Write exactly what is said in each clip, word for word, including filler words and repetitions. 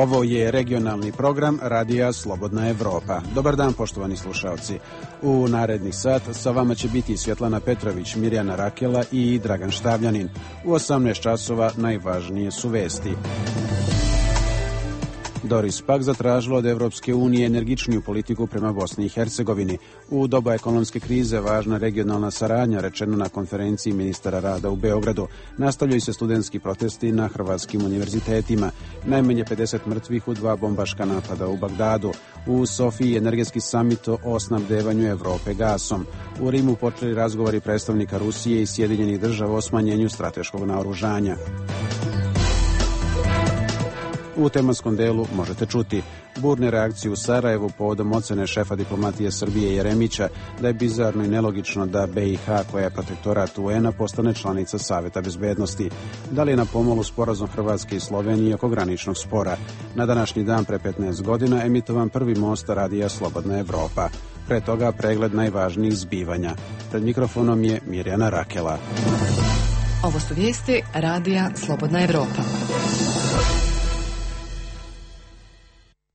Ovo je regionalni program Radija Slobodna Evropa. Dobar dan, poštovani slušalci. U naredni sat sa vama će biti Svjetlana Petrović, Mirjana Rakela i Dragan Štavljanin. U osamnaest časova najvažnije su vesti. Doris Pack zatražila od Evropske unije energičniju politiku prema Bosni i Hercegovini. U doba ekonomske krize važna regionalna saradnja, rečeno na konferenciji ministara rada u Beogradu. Nastavljaju se studentski protesti na hrvatskim univerzitetima. Najmanje pedeset mrtvih u dva bombaška napada u Bagdadu. U Sofiji energetski samit o snabdevanju Evrope gasom. U Rimu počeli razgovori predstavnika Rusije i Sjedinjenih država o smanjenju strateškog naoružanja. U tematskom delu možete čuti burne reakcije u Sarajevu povodom ocene šefa diplomatije Srbije Jeremića da je bizarno i nelogično da B i H, koja je protektorat U N-a, postane članica Saveta bezbednosti. Da li je na pomolu sporazum Hrvatske i Slovenije oko graničnog spora? Na današnji dan pre petnaest godina emitovan prvi most Radija Slobodna Evropa. Pre toga pregled najvažnijih zbivanja. Pred mikrofonom je Mirjana Rakela. Ovo su vijesti Radija Slobodna Evropa.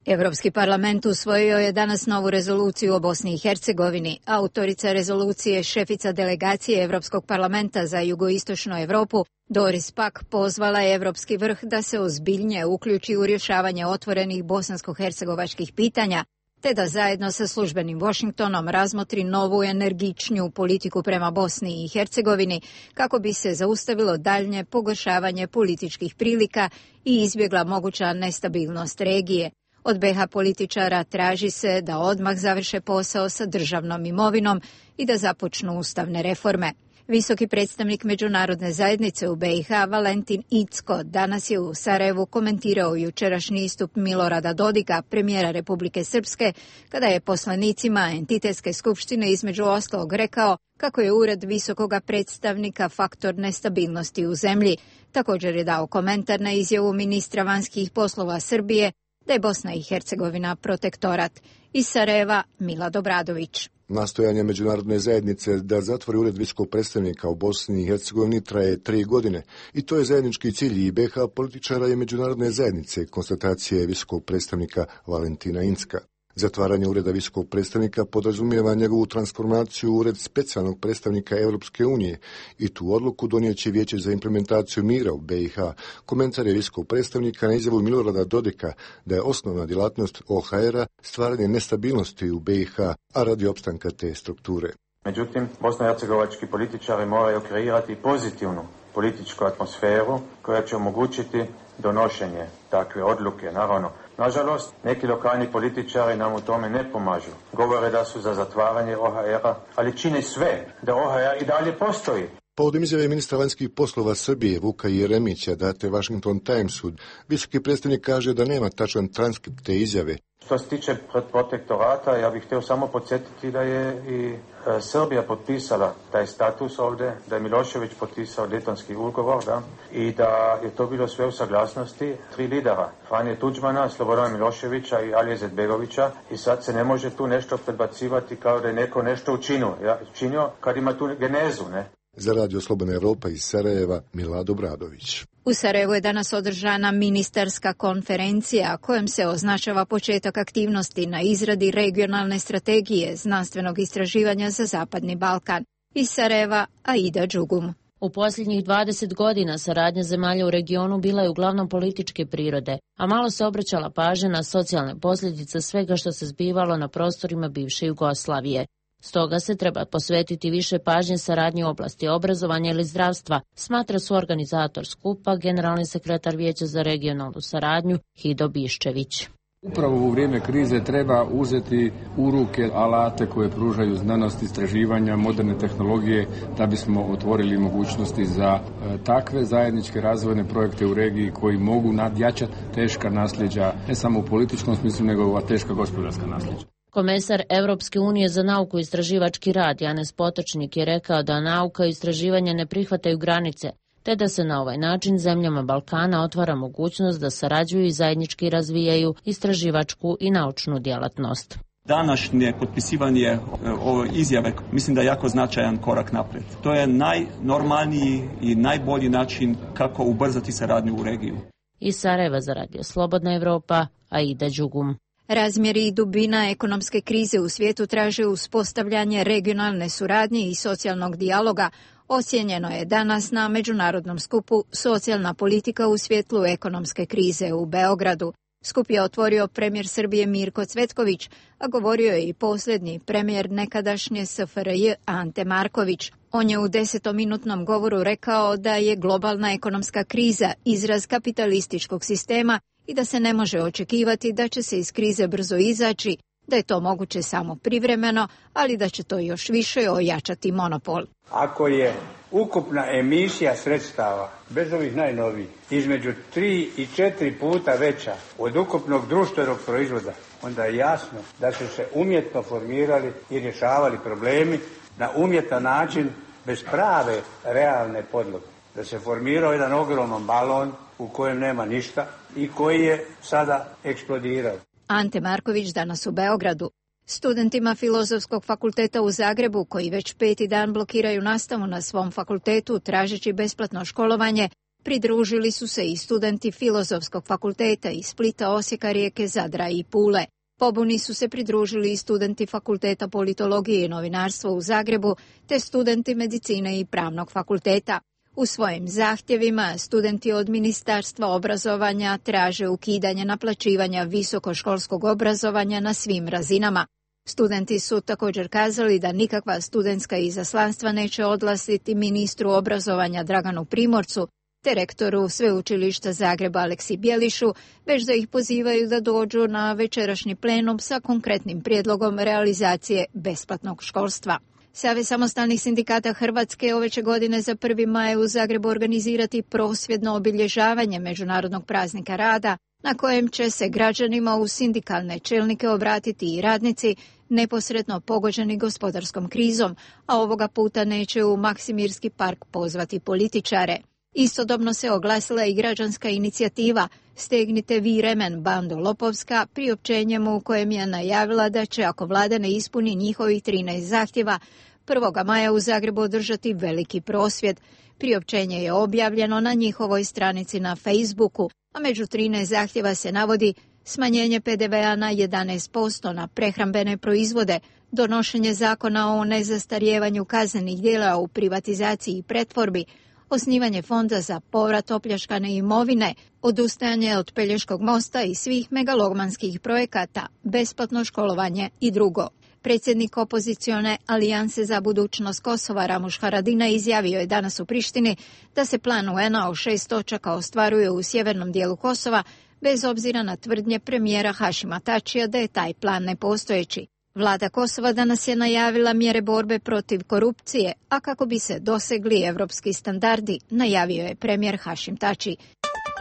Evropski parlament usvojio je danas novu rezoluciju o Bosni i Hercegovini. Autorica rezolucije, šefica delegacije Evropskog parlamenta za jugoistočnu Evropu, Doris Pack, pozvala je Evropski vrh da se ozbiljnije uključi u rješavanje otvorenih bosansko-hercegovačkih pitanja, te da zajedno sa službenim Washingtonom razmotri novu energičniju politiku prema Bosni i Hercegovini kako bi se zaustavilo daljnje pogoršavanje političkih prilika i izbjegla moguća nestabilnost regije. Od B H političara traži se da odmah završe posao sa državnom imovinom i da započnu ustavne reforme. Visoki predstavnik međunarodne zajednice u B i H Valentin Incko danas je u Sarajevu komentirao jučerašnji istup Milorada Dodika, premijera Republike Srpske, kada je poslanicima entitetske skupštine između ostalog rekao kako je ured visokoga predstavnika faktor nestabilnosti u zemlji. Također je dao komentar na izjavu ministra vanjskih poslova Srbije da je Bosna i Hercegovina protektorat. Iz Sarajeva, Milad Obradović. Nastojanje međunarodne zajednice da zatvori ured visokog predstavnika u Bosni i Hercegovini traje tri godine i to je zajednički cilj i B H političara i međunarodne zajednice, konstatacije visokog predstavnika Valentina Incka. Zatvaranje ureda visokog predstavnika podrazumijeva njegovu transformaciju u ured specijalnog predstavnika Europske unije i tu odluku donijet će Vijeće za implementaciju mira u B i H. Komentar je visokog predstavnika na izjavu Milorada Dodika da je osnovna djelatnost O H R-a stvaranje nestabilnosti u B i H, a radi opstanka te strukture. Međutim, bosnohercegovački političari moraju kreirati pozitivnu političku atmosferu koja će omogućiti donošenje takve odluke, naravno. Nažalost, neki lokalni političari nam u tome ne pomažu. Govore da su za zatvaranje O H R-a, ali čine sve da O H R i dalje postoji. Povodom izjave ministra vanjskih poslova Srbije Vuka Jeremića date Washington Timesu, visoki predstavnik kaže da nema tačan transkript te izjave. Što se tiče protektorata, ja bih htio samo podsjetiti da je i e, Srbija potpisala taj status ovdje, da je Milošević potpisao Daytonski ugovor, da, i da je to bilo sve u saglasnosti tri lidera, Franje Tuđmana, Slobodana Miloševića i Alije Izetbegovića, i sad se ne može tu nešto predbacivati kao da je neko nešto učinio, ja, učinio kad ima tu genezu, ne? Za Radio Slobodna Evropa iz Sarajeva, Milad Obradović. U Sarajevu je danas održana ministarska konferencija kojom se označava početak aktivnosti na izradi regionalne strategije znanstvenog istraživanja za Zapadni Balkan. Iz Sarajeva, Aida Đugum. U posljednjih dvadeset godina saradnja zemalja u regionu bila je uglavnom političke prirode, a malo se obraćala pažnja na socijalne posljedice svega što se zbivalo na prostorima bivše Jugoslavije. Stoga se treba posvetiti više pažnje saradnji u oblasti obrazovanja ili zdravstva, smatra suorganizator skupa, generalni sekretar Vijeća za regionalnu saradnju Hido Biščević. Upravo u vrijeme krize treba uzeti u ruke alate koje pružaju znanost, istraživanja, moderne tehnologije da bismo otvorili mogućnosti za e, takve zajedničke razvojne projekte u regiji koji mogu nadjačati teška nasljeđa, ne samo u političkom smislu, nego ova teška gospodarska nasljeđa. Komesar Europske unije za nauku i istraživački rad Janez Potočnik je rekao da nauka i istraživanje ne prihvataju granice, te da se na ovaj način zemljama Balkana otvara mogućnost da sarađuju i zajednički razvijaju istraživačku i naučnu djelatnost. Današnje potpisivanje ove izjave mislim da je jako značajan korak naprijed. To je najnormalniji i najbolji način kako ubrzati saradnju u regiju. Iz Sarajeva za Radio Slobodna Evropa, Aida Đugum. Razmjeri i dubina ekonomske krize u svijetu traže uspostavljanje regionalne suradnje i socijalnog dijaloga. Ocijenjeno je danas na međunarodnom skupu Socijalna politika u svjetlu ekonomske krize u Beogradu. Skup je otvorio premijer Srbije Mirko Cvetković, a govorio je i posljednji premijer nekadašnje S F R J Ante Marković. On je u desetominutnom govoru rekao da je globalna ekonomska kriza izraz kapitalističkog sistema i da se ne može očekivati da će se iz krize brzo izaći, da je to moguće samo privremeno, ali da će to još više ojačati monopol. Ako je ukupna emisija sredstava, bez ovih najnovijih, između tri i četiri puta veća od ukupnog društvenog proizvoda, onda je jasno da su se umjetno formirali i rješavali problemi na umjetan način bez prave realne podloge. Da se formirao jedan ogroman balon u kojem nema ništa i koji je sada eksplodirao. Ante Marković danas u Beogradu. Studentima Filozofskog fakulteta u Zagrebu, koji već peti dan blokiraju nastavu na svom fakultetu tražeći besplatno školovanje, pridružili su se i studenti Filozofskog fakulteta iz Splita, Osijeka, Rijeke, Zadra i Pule. Pobuni su se pridružili i studenti Fakulteta politologije i novinarstva u Zagrebu, te studenti medicine i pravnog fakulteta. U svojim zahtjevima studenti od Ministarstva obrazovanja traže ukidanje naplaćivanja visokoškolskog obrazovanja na svim razinama. Studenti su također kazali da nikakva studentska izaslanstva neće odlaziti ministru obrazovanja Draganu Primorcu te rektoru Sveučilišta Zagreba Aleksi Bjelišu, već da ih pozivaju da dođu na večerašnji plenum sa konkretnim prijedlogom realizacije besplatnog školstva. Savez samostalnih sindikata Hrvatske ove će godine za prvi maj u Zagrebu organizirati prosvjedno obilježavanje Međunarodnog praznika rada, na kojem će se građanima u sindikalne čelnike obratiti i radnici neposredno pogođeni gospodarskom krizom, a ovoga puta neće u Maksimirski park pozvati političare. Istodobno se oglasila i građanska inicijativa Stegnite vi remen, bando lopovska, priopćenjem u kojem je najavila da će, ako vlada ne ispuni njihovih trinaest zahtjeva, prvog maja u Zagrebu održati veliki prosvjed. Priopćenje je objavljeno na njihovoj stranici na Facebooku, a među trinaest zahtjeva se navodi smanjenje P D V-a na jedanaest posto na prehrambene proizvode, donošenje zakona o nezastarijevanju kaznenih djela u privatizaciji i pretvorbi, osnivanje fonda za povrat opljačkane imovine, odustajanje od Pelješkog mosta i svih megalomanskih projekata, besplatno školovanje i drugo. Predsjednik opozicione Alijanse za budućnost Kosova Ramuš Haradinaj izjavio je danas u Prištini da se plan U N A o šest točaka ostvaruje u sjevernom dijelu Kosova, bez obzira na tvrdnje premijera Hašima Tačija da je taj plan nepostojeći. Vlada Kosova danas je najavila mjere borbe protiv korupcije, a kako bi se dosegli evropski standardi, najavio je premijer Hašim Tači.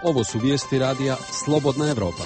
Ovo su vijesti radija Slobodna Evropa.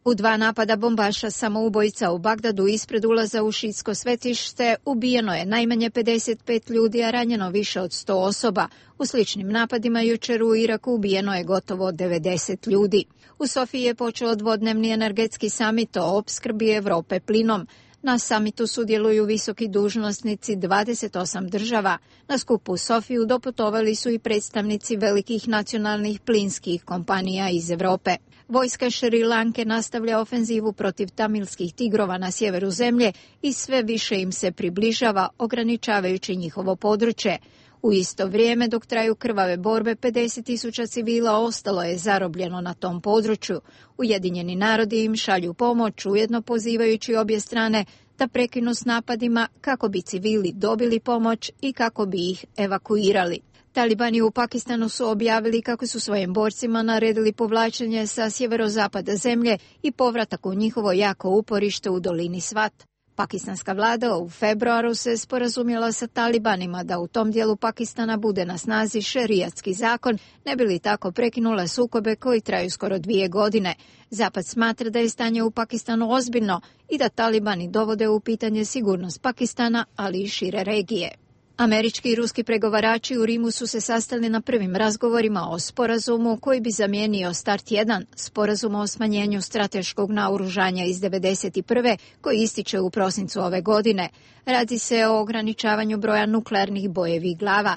U dva napada bombaša samoubojica u Bagdadu ispred ulaza u šiitsko svetište ubijeno je najmanje pedeset pet ljudi, a ranjeno više od sto osoba. U sličnim napadima jučer u Iraku ubijeno je gotovo devedeset ljudi. U Sofiji je počeo dvodnevni energetski samit o opskrbi Europe plinom. Na samitu sudjeluju visoki dužnosnici dvadeset osam država. Na skupu u Sofiju doputovali su i predstavnici velikih nacionalnih plinskih kompanija iz Europe. Vojska Šri Lanke nastavlja ofenzivu protiv tamilskih tigrova na sjeveru zemlje i sve više im se približava, ograničavajući njihovo područje. U isto vrijeme, dok traju krvave borbe, pedeset tisuća civila ostalo je zarobljeno na tom području. Ujedinjeni narodi im šalju pomoć, ujedno pozivajući obje strane da prekinu s napadima kako bi civili dobili pomoć i kako bi ih evakuirali. Talibani u Pakistanu su objavili kako su svojim borcima naredili povlačenje sa sjeverozapada zemlje i povratak u njihovo jako uporište u dolini Svat. Pakistanska vlada u februaru se sporazumjela sa Talibanima da u tom dijelu Pakistana bude na snazi šerijatski zakon, ne bi li tako prekinula sukobe koji traju skoro dvije godine. Zapad smatra da je stanje u Pakistanu ozbiljno i da Talibani dovode u pitanje sigurnost Pakistana, ali i šire regije. Američki i ruski pregovarači u Rimu su se sastali na prvim razgovorima o sporazumu koji bi zamijenio Start jedan, sporazum o smanjenju strateškog naoružanja iz devedeset prve koji ističe u prosincu ove godine. Radi se o ograničavanju broja nuklearnih bojevih glava.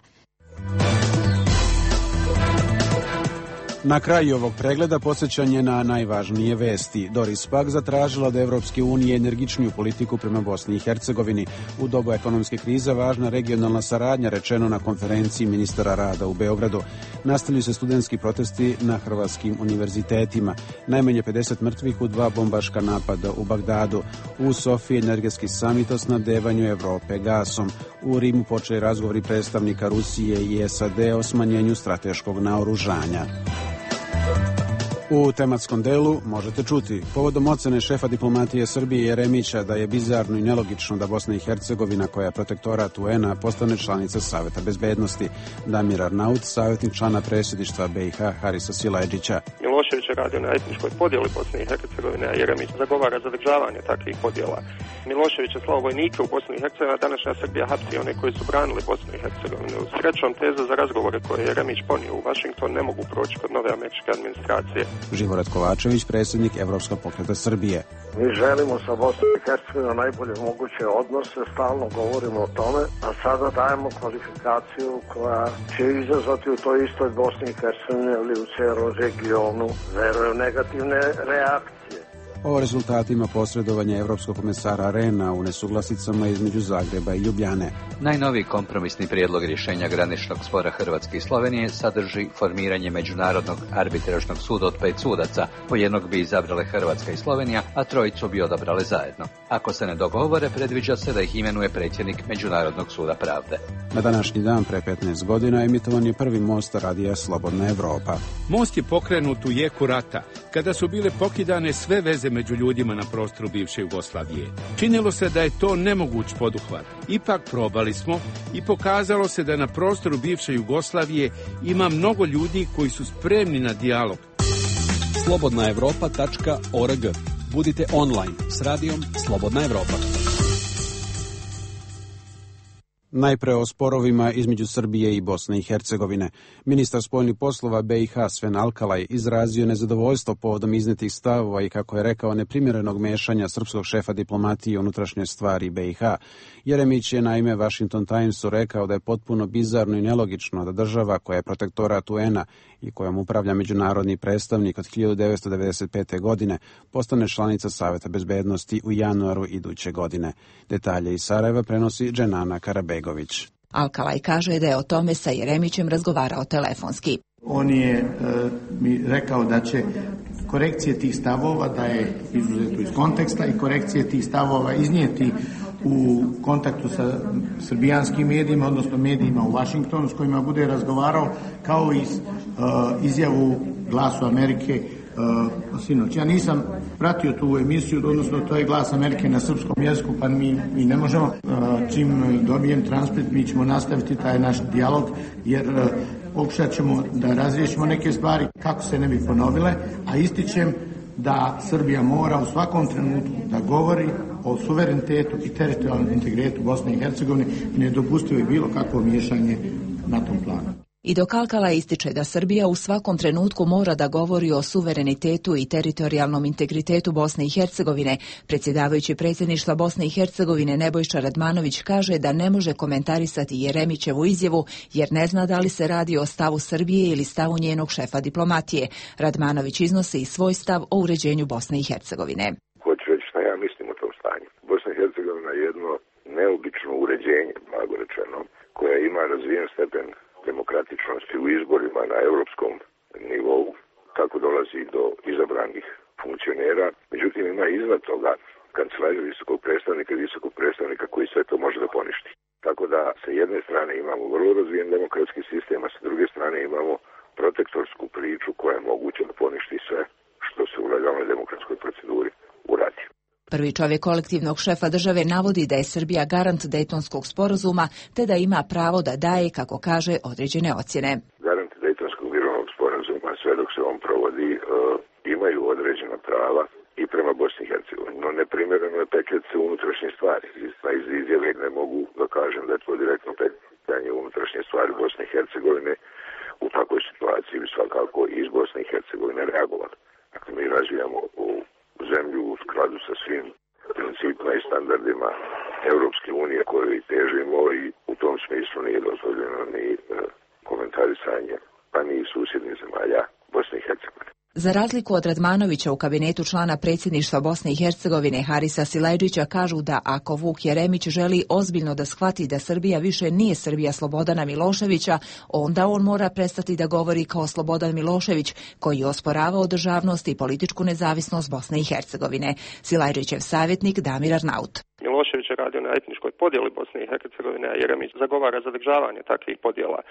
Na kraju ovog pregleda posjećanje na najvažnije vesti. Doris Pack zatražila od Evropske unije energičniju politiku prema Bosni i Hercegovini. U dobu ekonomske krize važna regionalna saradnja, rečeno na konferenciji ministara rada u Beogradu. Nastavljaju se studentski protesti na hrvatskim univerzitetima. Najmanje pedeset mrtvih u dva bombaška napada u Bagdadu. U Sofiji energetski samit o snabdevanju Evrope gasom. U Rimu počeli razgovori predstavnika Rusije i S A D o smanjenju strateškog naoružanja. U tematskom delu možete čuti povodom ocene šefa diplomatije Srbije Jeremića da je bizarno i nelogično da Bosna i Hercegovina, koja je protektorat U N-a, postane članica Saveta bezbednosti. Damir Arnaut, savjetnik člana predsjedništva B i H Harisa Silajdžića. Milošević je radio na etničkoj podjeli Bosne i Hercegovine, a Jeremić zagovara zadržavanje takvih podjela. Milošević je slao vojnike u Bosni i Hercegovini, a današnja Srbija hapsi one koji su branili Bosnu i Hercegovinu. Srećom, teza za razgovore koje je Jeremić ponio u Washington ne mogu proći kod nove američke administracije. Živorad Kovačević, predsjednik Evropskog pokreta Srbije. Mi želimo sa Bosnom i Hercegovinom najbolje moguće odnose, stalno govorimo o tome, a sada dajemo kvalifikaciju koja će izazvati u toj istoj Bosni i Hercegovini ili u cijelom regionu, verujem, negativne reakcije. O rezultatima posredovanja Evropskog komesara Rehna u nesuglasicama između Zagreba i Ljubljane. Najnoviji kompromisni prijedlog rješenja graničnog spora Hrvatske i Slovenije sadrži formiranje Međunarodnog arbitražnog suda od pet sudaca. Po jednog bi izabrale Hrvatska i Slovenija, a trojicu bi odabrale zajedno. Ako se ne dogovore, predviđa se da ih imenuje predsjednik Međunarodnog suda pravde. Na današnji dan pre petnaest godina emitovan je prvi most radija Slobodna Evropa. Most je pokrenut u jeku rata, kada su bile pokidane sve veze među ljudima na prostoru bivše Jugoslavije. Činilo se da je to nemoguć poduhvat. Ipak probali smo i pokazalo se da na prostoru bivše Jugoslavije ima mnogo ljudi koji su spremni na dijalog. slobodna evropa tačka org. Budite online s radijom Slobodna Evropa. Najpre o sporovima između Srbije i Bosne i Hercegovine. Ministar spoljnih poslova B i H Sven Alkalaj izrazio nezadovoljstvo povodom iznetih stavova i, kako je rekao, neprimjerenog mešanja srpskog šefa diplomatije u unutrašnje stvari B i H. Jeremić je naime Washington Timesu rekao da je potpuno bizarno i nelogično da država koja je protektorat U N-a i kojom upravlja međunarodni predstavnik od hiljadu devetsto devedeset pete. godine postane članica Saveta bezbednosti u januaru iduće godine. Detalje iz Sarajeva prenosi Dženana Karabegović. Alkalaj kaže da je o tome sa Jeremićem razgovarao telefonski. On je e, mi rekao da će korekcije tih stavova, da je izuzeto iz konteksta, i korekcije tih stavova iznijeti u kontaktu sa srbijanskim medijima, odnosno medijima u Washingtonu s kojima bude razgovarao, kao i uh, izjavu Glasu Amerike uh, sinoć. Ja nisam pratio tu emisiju, odnosno to je Glas Amerike na srpskom jeziku, pa mi, mi ne možemo. Uh, čim dobijem transkript, mi ćemo nastaviti taj naš dijalog, jer uh, pokušat ćemo da razriješimo neke stvari kako se ne bi ponovile, a ističem da Srbija mora u svakom trenutku da govori o suverenitetu i teritorijalnom integritetu Bosne i Hercegovine i nedopustivo je bilo kakvo miješanje na tom planu. I dok Alkalaj ističe da Srbija u svakom trenutku mora da govori o suverenitetu i teritorijalnom integritetu Bosne i Hercegovine, predsjedavajući predsjedništva Bosne i Hercegovine Nebojša Radmanović kaže da ne može komentarisati Jeremićevu izjavu jer ne zna da li se radi o stavu Srbije ili stavu njenog šefa diplomatije. Radmanović iznosi i svoj stav o uređenju Bosne i Hercegovine. Hoću reći šta ja mislim o tom stanju. Bosna i Hercegovina je jedno neobično uređenje, blago rečeno, koje ima razvijen stepen demokratičnosti u izborima na europskom nivou, tako dolazi do izabranih funkcionera. Međutim, ima iznad toga kancelariju visokog predstavnika i visokog predstavnika koji sve to može da poništi. Tako da sa jedne strane imamo vrlo razvijen demokratski sistem, a sa druge strane imamo protektorsku priču koja je moguća da poništi sve što se u legalnoj demokratskoj proceduri uradi. Prvi čovjek kolektivnog šefa države navodi da je Srbija garant Dejtonskog sporazuma, te da ima pravo da daje, kako kaže, određene ocjene. Garant Dejtonskog mirovnog sporazuma, sve dok se on provodi, uh, imaju određena prava i prema Bosni i Hercegovini. No neprimjereno je petljati se u unutrašnje stvari. Iz izjave ne mogu da kažem da je to direktno petljanje u unutrašnje stvari Bosne i Hercegovine. U takvoj situaciji bi svakako iz Bosne i Hercegovine reagovali. Dakle, mi razvijamo u zemlju u skladu sa svim principima i standardima Europske unije koje i težimo, i u tom smislu nije dozvoljeno ni e, komentarisanje, pa ni susjednih zemalja Bosne i Hercegovine. Za razliku od Radmanovića u kabinetu člana predsjedništva Bosne i Hercegovine Harisa Silajdžića kažu da ako Vuk Jeremić želi ozbiljno da shvati da Srbija više nije Srbija Slobodana Miloševića, onda on mora prestati da govori kao Slobodan Milošević, koji je osporavao državnost i političku nezavisnost Bosne i Hercegovine. Silajdžićev savjetnik Damir Arnaut. Milošević je radio na etničkoj podjeli Bosne i Hercegovine, a Jeremić zagovara zadržavanje takvih podjela.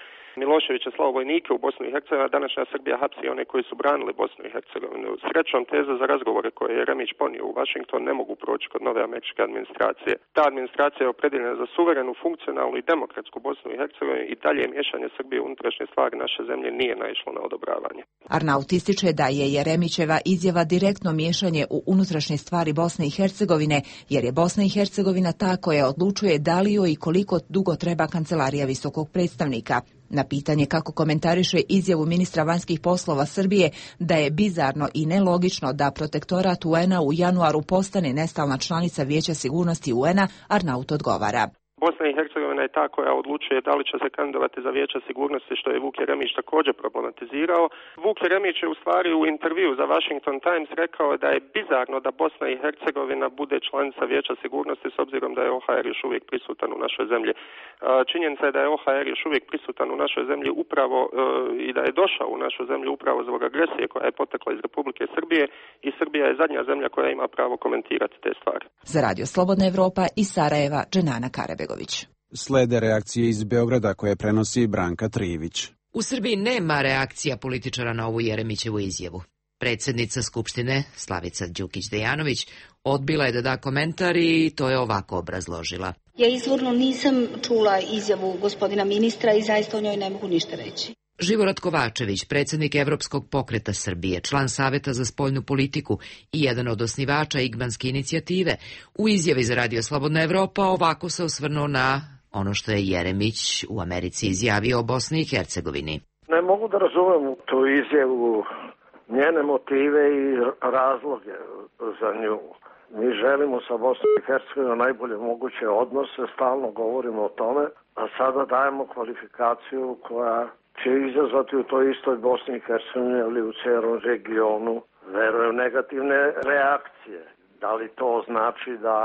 Milošević je slao vojnike u Bosnu i Hercegovinu, a današnja Srbija hapsi one koji su branili Bosnu i Hercegovinu. Srećom, teze za razgovore koje je Jeremić ponio u Washington ne mogu proći kod nove američke administracije. Ta administracija je opredeljena za suverenu, funkcionalnu i demokratsku Bosnu i Hercegovinu i dalje miješanje Srbije u unutrašnje stvari naše zemlje nije naišlo na odobravanje. Arnaut ističe da je Jeremićeva izjava direktno miješanje u unutrašnje stvari Bosne i Hercegovine, jer je Bosna i Hercegovina ta koja odlučuje da li joj i koliko dugo treba kancelarija visokog predstavnika. Na pitanje kako komentariše izjavu ministra vanjskih poslova Srbije da je bizarno i nelogično da protektorat U N-a u januaru postane nestalna članica Vijeća sigurnosti U N-a, Arnaut odgovara. Bosna i Hercegovina je ta koja odlučuje da li će se kandidovati za Vijeće sigurnosti, što je Vuk Jeremić također problematizirao. Vuk Jeremić je u stvari u intervju za Washington Times rekao da je bizarno da Bosna i Hercegovina bude članica Vijeća sigurnosti s obzirom da je O H R još uvijek prisutan u našoj zemlji. Činjenica je da je O H R još uvijek prisutan u našoj zemlji upravo i da je došao u našu zemlju upravo zbog agresije koja je potekla iz Republike Srbije i Srbija je zadnja zemlja koja ima pravo komentirati te stvari. Za Radio Slobodna Evropa iz Sarajeva, Dženana Karebe. Slede reakcije iz Beograda koje prenosi Branka Trijević. U Srbiji nema reakcija političara na ovu Jeremićevu izjavu. Predsjednica Skupštine, Slavica Đukić-Dejanović, odbila je da da komentar i to je ovako obrazložila. Ja izvorno nisam čula izjavu gospodina ministra i zaista o njoj ne mogu ništa reći. Živorad Kovačević, predsjednik Evropskog pokreta Srbije, član Saveta za spoljnu politiku i jedan od osnivača Igmanske inicijative, u izjavi za Radio Slobodna Evropa ovako se osvrnuo na ono što je Jeremić u Americi izjavio o Bosni i Hercegovini. Ne mogu da razumem tu izjavu, njene motive i razloge za nju. Mi želimo sa Bosnom i Hercegovinom najbolje moguće odnose, stalno govorimo o tome, a sada dajemo kvalifikaciju koja će izazvati u toj istoj Bosni i Hercegovini ili u cijelom regionu, verujem, negativne reakcije. Da li to znači da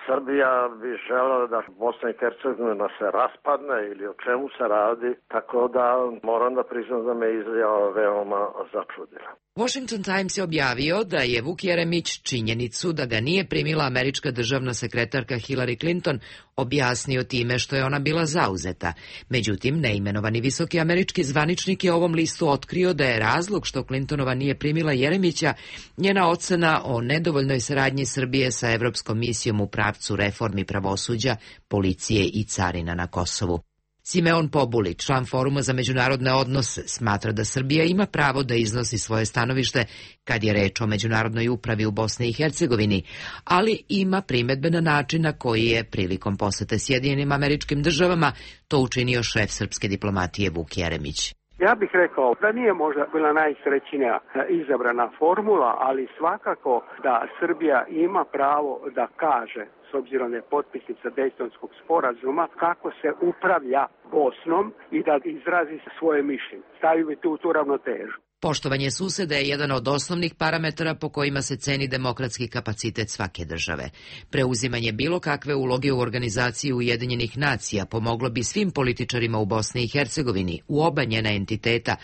Srbija bi želela da Bosna i Hercegovina se raspadne ili o čemu se radi, tako da moram da priznam da me izjava veoma začudila. Washington Times je objavio da je Vuk Jeremić činjenicu da ga nije primila američka državna sekretarka Hillary Clinton objasnio time što je ona bila zauzeta. Međutim, neimenovani visoki američki zvaničnik je ovom listu otkrio da je razlog što Clintonova nije primila Jeremića njena ocena o nedovoljnoj saradnji Srbije sa Evropskom misijom u pravcu reformi pravosuđa, policije i carina na Kosovu. Simeon Pobuli, član Foruma za međunarodne odnose, smatra da Srbija ima pravo da iznosi svoje stanovište kad je reč o međunarodnoj upravi u Bosni i Hercegovini, ali ima primedbe na način na koji je prilikom posete Sjedinjenim Američkim Državama to učinio šef srpske diplomatije Vuk Jeremić. Ja bih rekao da nije možda bila najsrećnija izabrana formula, ali svakako da Srbija ima pravo da kaže, s obzirom da je potpisnica Dejtonskog sporazuma, kako se upravlja Bosnom i da izrazi svoje mišljenje. Stavimo tu tu ravnotežu. Poštovanje suseda je jedan od osnovnih parametara po kojima se ceni demokratski kapacitet svake države. Preuzimanje bilo kakve uloge u organizaciji Ujedinjenih nacija pomoglo bi svim političarima u Bosni i Hercegovini, u oba njena entiteta,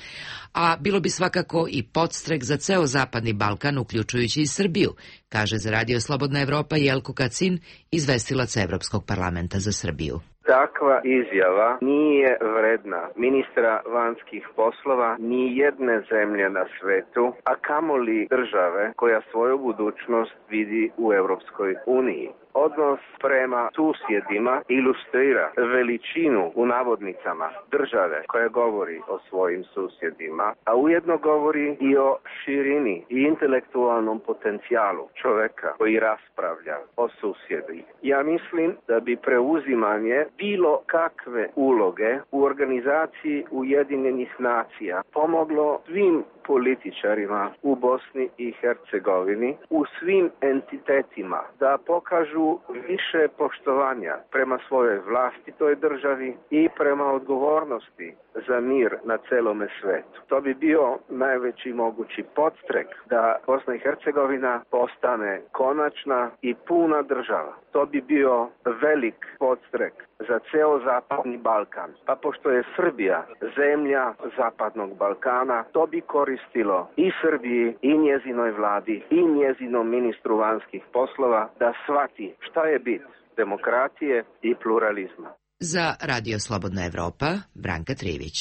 a bilo bi svakako i podstrek za ceo Zapadni Balkan, uključujući i Srbiju, kaže za Radio Slobodna Evropa Jelko Kacin, izvestilac Evropskog parlamenta za Srbiju. Takva izjava nije vredna ministra vanjskih poslova ni jedne zemlje na svetu, a kamoli države koja svoju budućnost vidi u Europskoj uniji. Odnos prema susjedima ilustrira veličinu u navodnicama države koja govori o svojim susjedima, a ujedno govori i o širini i intelektualnom potencijalu čoveka koji raspravlja o susjedi. Ja mislim da bi preuzimanje bilo kakve uloge u organizaciji Ujedinjenih nacija pomoglo svim političarima u Bosni i Hercegovini, u svim entitetima da pokažu pokažu više poštovanja prema svojoj vlastitoj državi i prema odgovornosti za mir na celome svetu. To bi bio najveći mogući podstrek da Bosna i Hercegovina postane konačna i puna država. To bi bio velik podstrek za ceo Zapadni Balkan. Pa pošto je Srbija zemlja Zapadnog Balkana, to bi koristilo i Srbiji, i njezinoj vladi, i njezinom ministru vanjskih poslova da shvati šta je bit demokratije i pluralizma. Za Radio Slobodna Evropa, Branka Trivić.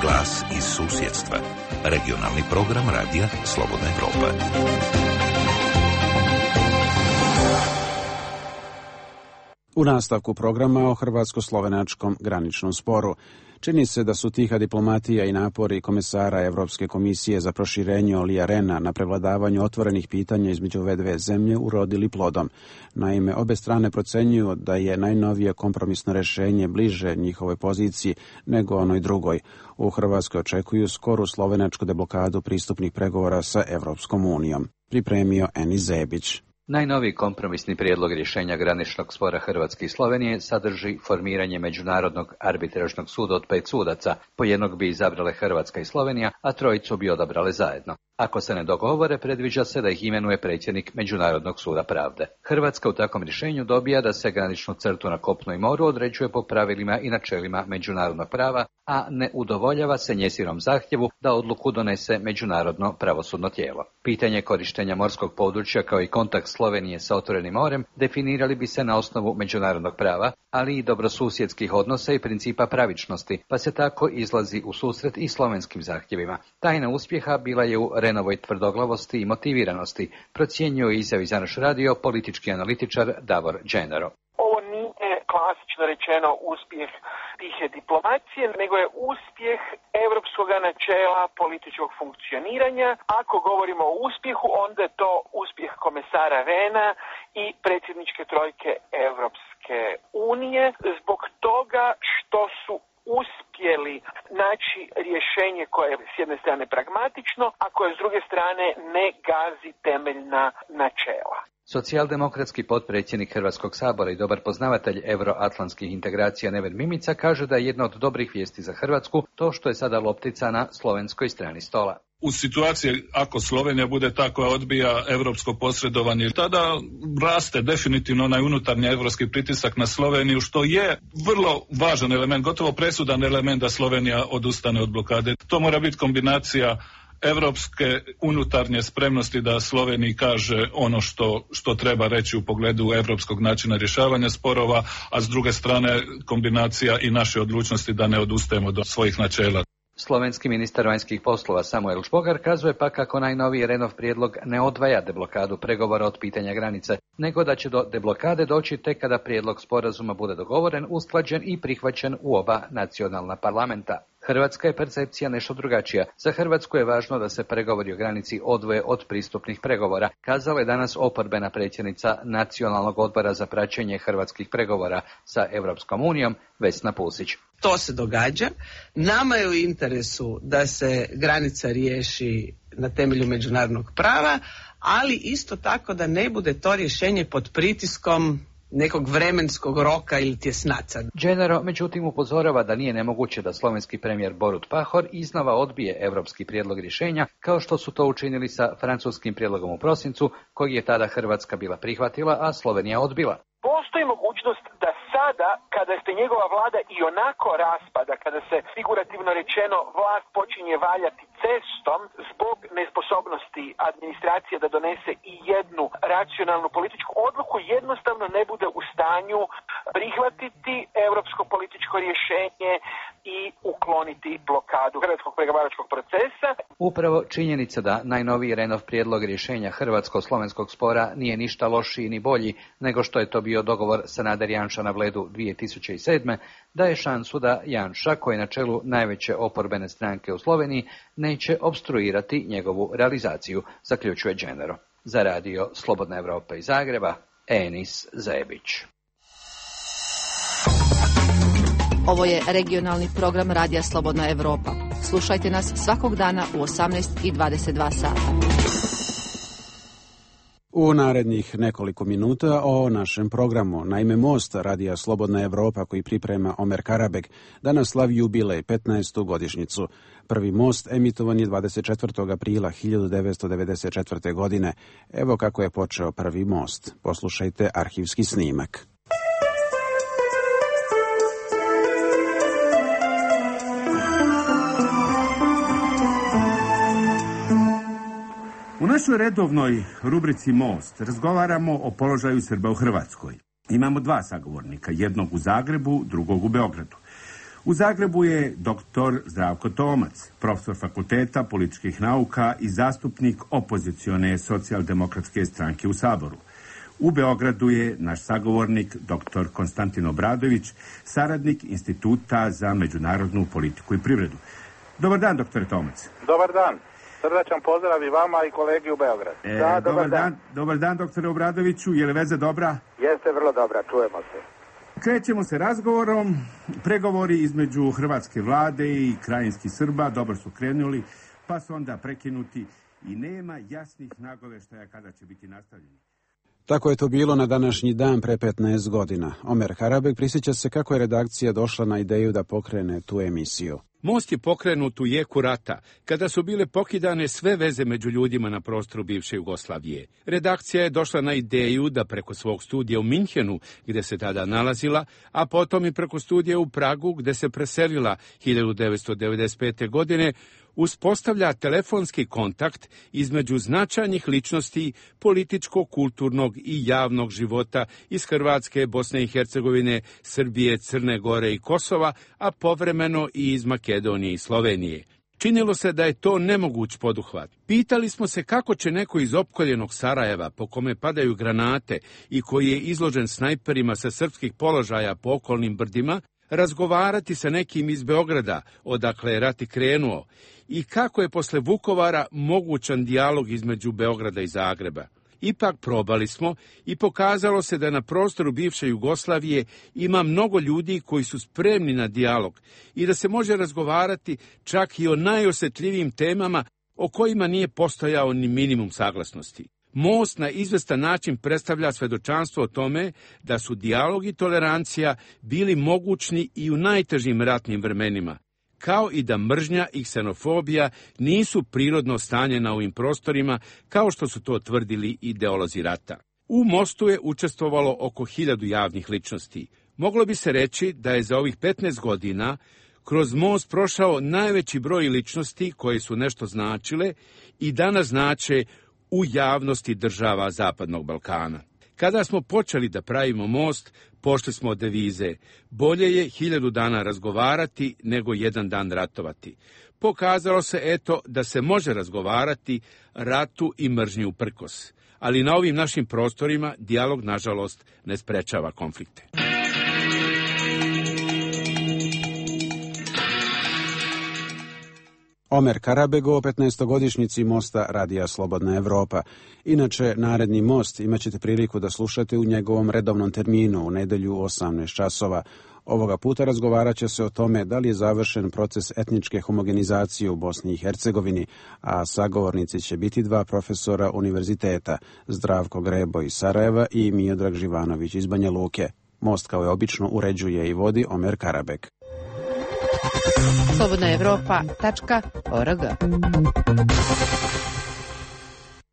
Glas iz susjedstva. Regionalni program Radija Slobodna Evropa. U nastavku programa o hrvatsko-slovenačkom graničnom sporu. Čini se da su tiha diplomatija i napori komesara Evropske komisije za proširenje Olija Rena na prevladavanju otvorenih pitanja između ove dve zemlje urodili plodom. Naime, obe strane procenjuju da je najnovije kompromisno rešenje bliže njihovoj poziciji nego onoj drugoj. U Hrvatskoj očekuju skoru slovenačku deblokadu pristupnih pregovora sa Evropskom unijom. Pripremio Eni Zebić. Najnoviji kompromisni prijedlog rješenja graničnog spora Hrvatske i Slovenije sadrži formiranje Međunarodnog arbitražnog suda od pet sudaca, po jednog bi izabrale Hrvatska i Slovenija, a trojicu bi odabrale zajedno. Ako se ne dogovore, predviđa se da ih imenuje predsjednik Međunarodnog suda pravde. Hrvatska u takvom rješenju dobija da se graničnu crtu na kopnu i moru određuje po pravilima i načelima međunarodnog prava, a ne udovoljava se njezinom zahtjevu da odluku donese međunarodno pravosudno tijelo. Pitanje korištenja morskog područja kao i kontakt Slovenije sa otvorenim morem definirali bi se na osnovu međunarodnog prava, ali i dobrosusjedskih odnosa i principa pravičnosti, pa se tako izlazi u susret i slovenskim zahtjevima. Tajna uspjeha bila je u Renovoj tvrdoglavosti i motiviranosti, procjenjuje izjavi za naš radio politički analitičar Davor Dženero. Ovo nije klasično rečeno uspjeh tihe diplomacije, nego je uspjeh europskog načela političkog funkcioniranja. Ako govorimo o uspjehu, onda je to uspjeh komesara Rehna i predsjedničke trojke Europske unije, zbog toga što su uspjeli naći rješenje koje je s jedne strane pragmatično, a koje s druge strane ne gazi temeljna načela. Socijaldemokratski potpredsjednik Hrvatskog sabora i dobar poznavatelj euroatlantskih integracija Neven Mimica kaže da je jedna od dobrih vijesti za Hrvatsku to što je sada loptica na slovenskoj strani stola. U situaciji ako Slovenija bude ta koja odbija europsko posredovanje, tada raste definitivno onaj unutarnji europski pritisak na Sloveniju, što je vrlo važan element, gotovo presudan element da Slovenija odustane od blokade. To mora biti kombinacija europske unutarnje spremnosti da Sloveniji kaže ono što, što treba reći u pogledu europskog načina rješavanja sporova, a s druge strane kombinacija i naše odlučnosti da ne odustajemo do svojih načela. Slovenski ministar vanjskih poslova Samuel Špogar kazuje pa kako najnoviji Renov prijedlog ne odvaja deblokadu pregovora od pitanja granice, nego da će do deblokade doći tek kada prijedlog sporazuma bude dogovoren, usklađen i prihvaćen u oba nacionalna parlamenta. Hrvatska je percepcija nešto drugačija. Za Hrvatsku je važno da se pregovori o granici odvoje od pristupnih pregovora, kazala je danas oporbena predsjednica Nacionalnog odbora za praćenje hrvatskih pregovora sa Europskom unijom, Vesna Pusić. To se događa. Nama je u interesu da se granica riješi na temelju međunarodnog prava, ali isto tako da ne bude to rješenje pod pritiskom nekog vremenskog roka ili tjesnaca. Dženero međutim upozorava da nije nemoguće da slovenski premijer Borut Pahor iznova odbije europski prijedlog rješenja, kao što su to učinili sa francuskim prijedlogom u prosincu, koji je tada Hrvatska bila prihvatila, a Slovenija odbila. Postoji mogućnost da sada, kada se njegova vlada i onako raspada, kada se figurativno rečeno vlast počinje valjati cestom zbog nesposobnosti administracije da donese i jednu racionalnu političku odluku, jednostavno ne bude u stanju prihvatiti europsko političko rješenje i ukloniti blokadu hrvatskog pregovaračkog procesa. Upravo činjenica da najnoviji Renov prijedlog rješenja hrvatsko-slovenskog spora nije ništa lošiji ni bolji nego što je to bio dogovor Sanader Janša na Bledu dvije tisuće sedme, daje šansu da Janša, koji je na čelu najveće oporbene stranke u Sloveniji, neće opstruirati njegovu realizaciju, zaključuje Dženero. Za radio Slobodna Evropa iz Zagreba, Enis Zebić. Ovo je regionalni program Radija Slobodna Evropa. Slušajte nas svakog dana u osamnaest i dvadeset dva sata. U narednih nekoliko minuta o našem programu. Naime, most Radija Slobodna Evropa koji priprema Omer Karabek danas slavi jubilej, petnaestu godišnjicu. Prvi most emitovan je dvadeset četvrtog aprila hiljadu devetsto devedeset četvrte. godine. Evo kako je počeo prvi most. Poslušajte arhivski snimak. U našoj redovnoj rubrici Most razgovaramo o položaju Srba u Hrvatskoj. Imamo dva sagovornika, jednog u Zagrebu, drugog u Beogradu. U Zagrebu je doktor Zdravko Tomac, profesor fakulteta političkih nauka i zastupnik opozicione socijaldemokratske stranke u Saboru. U Beogradu je naš sagovornik doktor Konstantin Obradović, saradnik Instituta za međunarodnu politiku i privredu. Dobar dan, doktore Tomac. Dobar dan. Srdačan pozdrav i vama i kolegi u Beogradu. E, da, dobar, dobar dan. dan. Dobar dan, doktore Obradoviću. Je li veza dobra? Jeste vrlo dobra, čujemo se. Krećemo se razgovorom. Pregovori između hrvatske vlade i krajinskih Srba dobro su krenuli, pa su onda prekinuti i nema jasnih nagoveštaja kada će biti nastavljeni. Tako je to bilo na današnji dan pre petnaest godina. Omer Karabek prisjeća se kako je redakcija došla na ideju da pokrene tu emisiju. Most je pokrenut u jeku rata, kada su bile pokidane sve veze među ljudima na prostoru bivše Jugoslavije. Redakcija je došla na ideju da preko svog studija u Minhenu, gde se tada nalazila, a potom i preko studija u Pragu, gde se preselila hiljadu devetsto devedeset pete. godine, uspostavlja telefonski kontakt između značajnih ličnosti političkog, kulturnog i javnog života iz Hrvatske, Bosne i Hercegovine, Srbije, Crne Gore i Kosova, a povremeno i iz Makedonije i Slovenije. Činilo se da je to nemoguć poduhvat. Pitali smo se kako će neko iz opkoljenog Sarajeva, po kome padaju granate i koji je izložen snajperima sa srpskih položaja po okolnim brdima, razgovarati sa nekim iz Beograda, odakle je rat i krenuo, i kako je posle Vukovara mogućan dijalog između Beograda i Zagreba. Ipak probali smo i pokazalo se da na prostoru bivše Jugoslavije ima mnogo ljudi koji su spremni na dijalog i da se može razgovarati čak i o najosjetljivijim temama o kojima nije postojao ni minimum saglasnosti. Most na izvestan način predstavlja svedočanstvo o tome da su dijalog i tolerancija bili mogućni i u najtežim ratnim vremenima, kao i da mržnja i ksenofobija nisu prirodno stanje na ovim prostorima, kao što su to tvrdili ideolozi rata. U mostu je učestvovalo oko hiljadu javnih ličnosti. Moglo bi se reći da je za ovih petnaest godina kroz most prošao najveći broj ličnosti koje su nešto značile i danas znače u javnosti država Zapadnog Balkana. Kada smo počeli da pravimo most, pošli smo od devize: bolje je hiljadu dana razgovarati nego jedan dan ratovati. Pokazalo se eto da se može razgovarati ratu i mržnji uprkos, ali na ovim našim prostorima dijalog nažalost ne sprečava konflikte. Omer Karabek o petnaestogodišnjici mosta Radija Slobodna Evropa. Inače, naredni most imaćete priliku da slušate u njegovom redovnom terminu u nedelju u osamnaest časova. Ovoga puta razgovarat će se o tome da li je završen proces etničke homogenizacije u Bosni i Hercegovini, a sagovornici će biti dva profesora univerziteta, Zdravko Grebo iz Sarajeva i Miodrag Živanović iz Banja Luke. Most kao je obično uređuje i vodi Omer Karabek. slobodna evropa tačka org.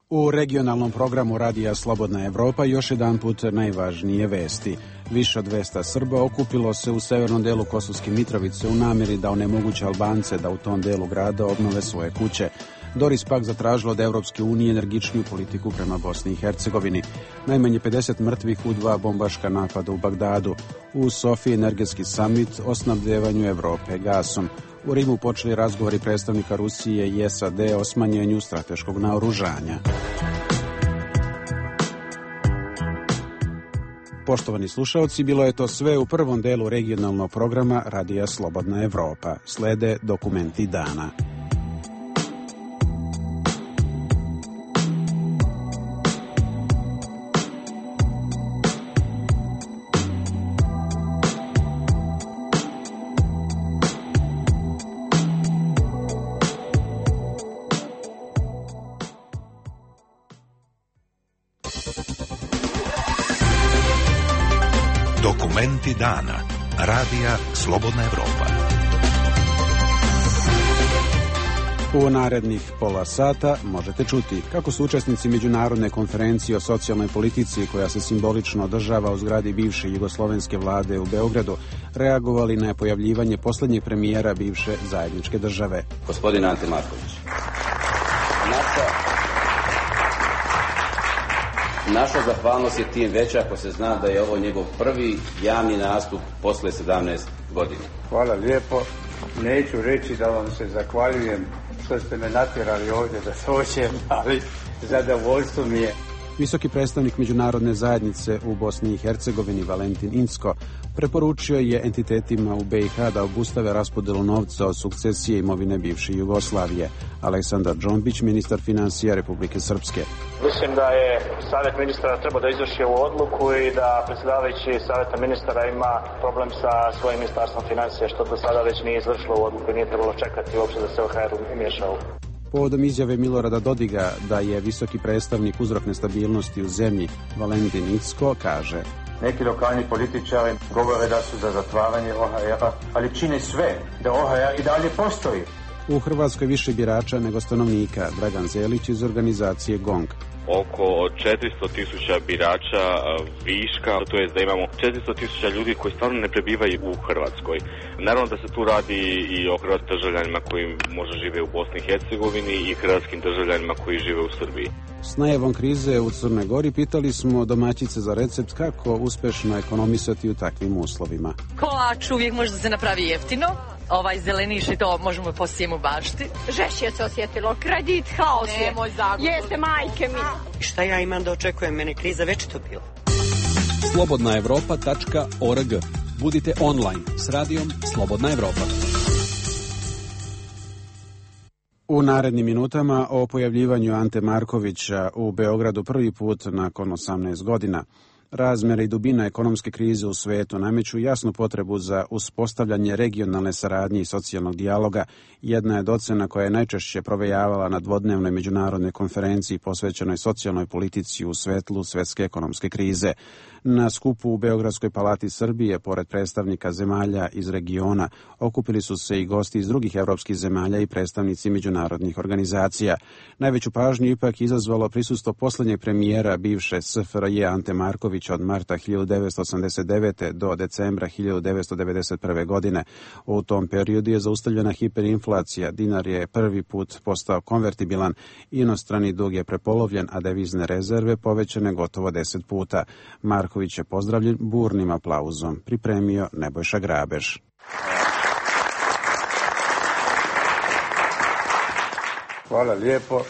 U regionalnom programu Radija Slobodna Evropa još jedan put najvažnije vesti. Više od dvesta Srba okupilo se u severnom delu Kosovske Mitrovice u namjeri da onemoguće Albance da u tom delu grada obnove svoje kuće. Doris pak zatražila od Evropske unije energičniju politiku prema Bosni i Hercegovini. Najmanje pedeset mrtvih u dva bombaška napada u Bagdadu. U Sofiji energetski samit o snabdevanju Evrope gasom. U Rimu počeli razgovori predstavnika Rusije i S A D o smanjenju strateškog naoružanja. Poštovani slušaoci, bilo je to sve u prvom delu regionalnog programa Radija Slobodna Evropa. Slede dokumenti dana. Dokumenti dana. Radija Slobodna Evropa. U narednih pola sata možete čuti kako su učesnici međunarodne konferencije o socijalnoj politici koja se simbolično održava u zgradi bivše jugoslovenske vlade u Beogradu reagovali na pojavljivanje poslednjeg premijera bivše zajedničke države. Gospodin Ante Marković. Naša, naša zahvalnost je tim veća ako se zna da je ovo njegov prvi javni nastup posle sedamnaest godina. Hvala lijepo. Neću reći da vam se zahvaljujem što ste me natjerali ovdje da dođem, ali zadovoljstvo mi je. Visoki predstavnik međunarodne zajednice u Bosni i Hercegovini Valentin Incko preporučio je entitetima u B i H da obustave raspodelu novca od sukcesije imovine bivše Jugoslavije. Aleksandar Džombić, ministar finansija Republike Srpske. Mislim da je savjet ministara trebao da izvrši ovu odluku i da predsjedavajući savjeta ministara ima problem sa svojim ministarstvom financija, što do sada već nije izvršilo u odluku i nije trebalo čekati uopće da se O H R umiješao. Povodom izjave Milorada Dodiga da je visoki predstavnik uzrok nestabilnosti u zemlji, Valentin Incko kaže: Neki lokalni političari govore da su za zatvaranje O H R-a, ali čine sve da O H R i dalje postoji. U Hrvatskoj više birača nego stanovnika, Dragan Zelić iz organizacije GONG. Oko četiristo tisuća birača viška, to je da imamo četiristo tisuća ljudi koji stvarno ne prebivaju u Hrvatskoj. Naravno da se tu radi i o hrvatskim državljanima koji možda žive u Bosni i Hercegovini i hrvatskim državljanima koji žive u Srbiji. S najavom krize u Crnoj Gori pitali smo domaćice za recept kako uspešno ekonomisati u takvim uslovima. Kolač uvijek može da se napravi jeftino. Ovaj zeleniš i to možemo poslije u bašti. Žešće se osjetilo, kredit, haos je. Nemoj zagovor. Jeste, majke mi. Šta ja imam da očekujem, mene kriza već to bila. slobodna evropa tačka org. Budite online s radijom Slobodna Evropa. U narednim minutama o pojavljivanju Ante Markovića u Beogradu prvi put nakon osamnaest godina. Razmere i dubina ekonomske krize u svetu nameću jasnu potrebu za uspostavljanje regionalne saradnje i socijalnog dijaloga. Jedna je docena koja je najčešće provejavala na dvodnevnoj međunarodnoj konferenciji posvećenoj socijalnoj politici u svetlu svetske ekonomske krize. Na skupu u Beogradskoj palati Srbije, pored predstavnika zemalja iz regiona, okupili su se i gosti iz drugih evropskih zemalja i predstavnici međunarodnih organizacija. Najveću pažnju ipak izazvalo prisustvo poslednjeg premijera bivše S F R J Ante Markovića od marta hiljadu devetsto osamdeset devete. do decembra hiljadu devetsto devedeset prve. godine. U tom periodu je zaustavljena hiperinflacija, dinar je prvi put postao konvertibilan, inostrani dug je prepolovljen, a devizne rezerve povećane gotovo deset puta. Marković je pozdravljen burnim aplauzom. Pripremio Nebojša Grabež. Hvala lijepo.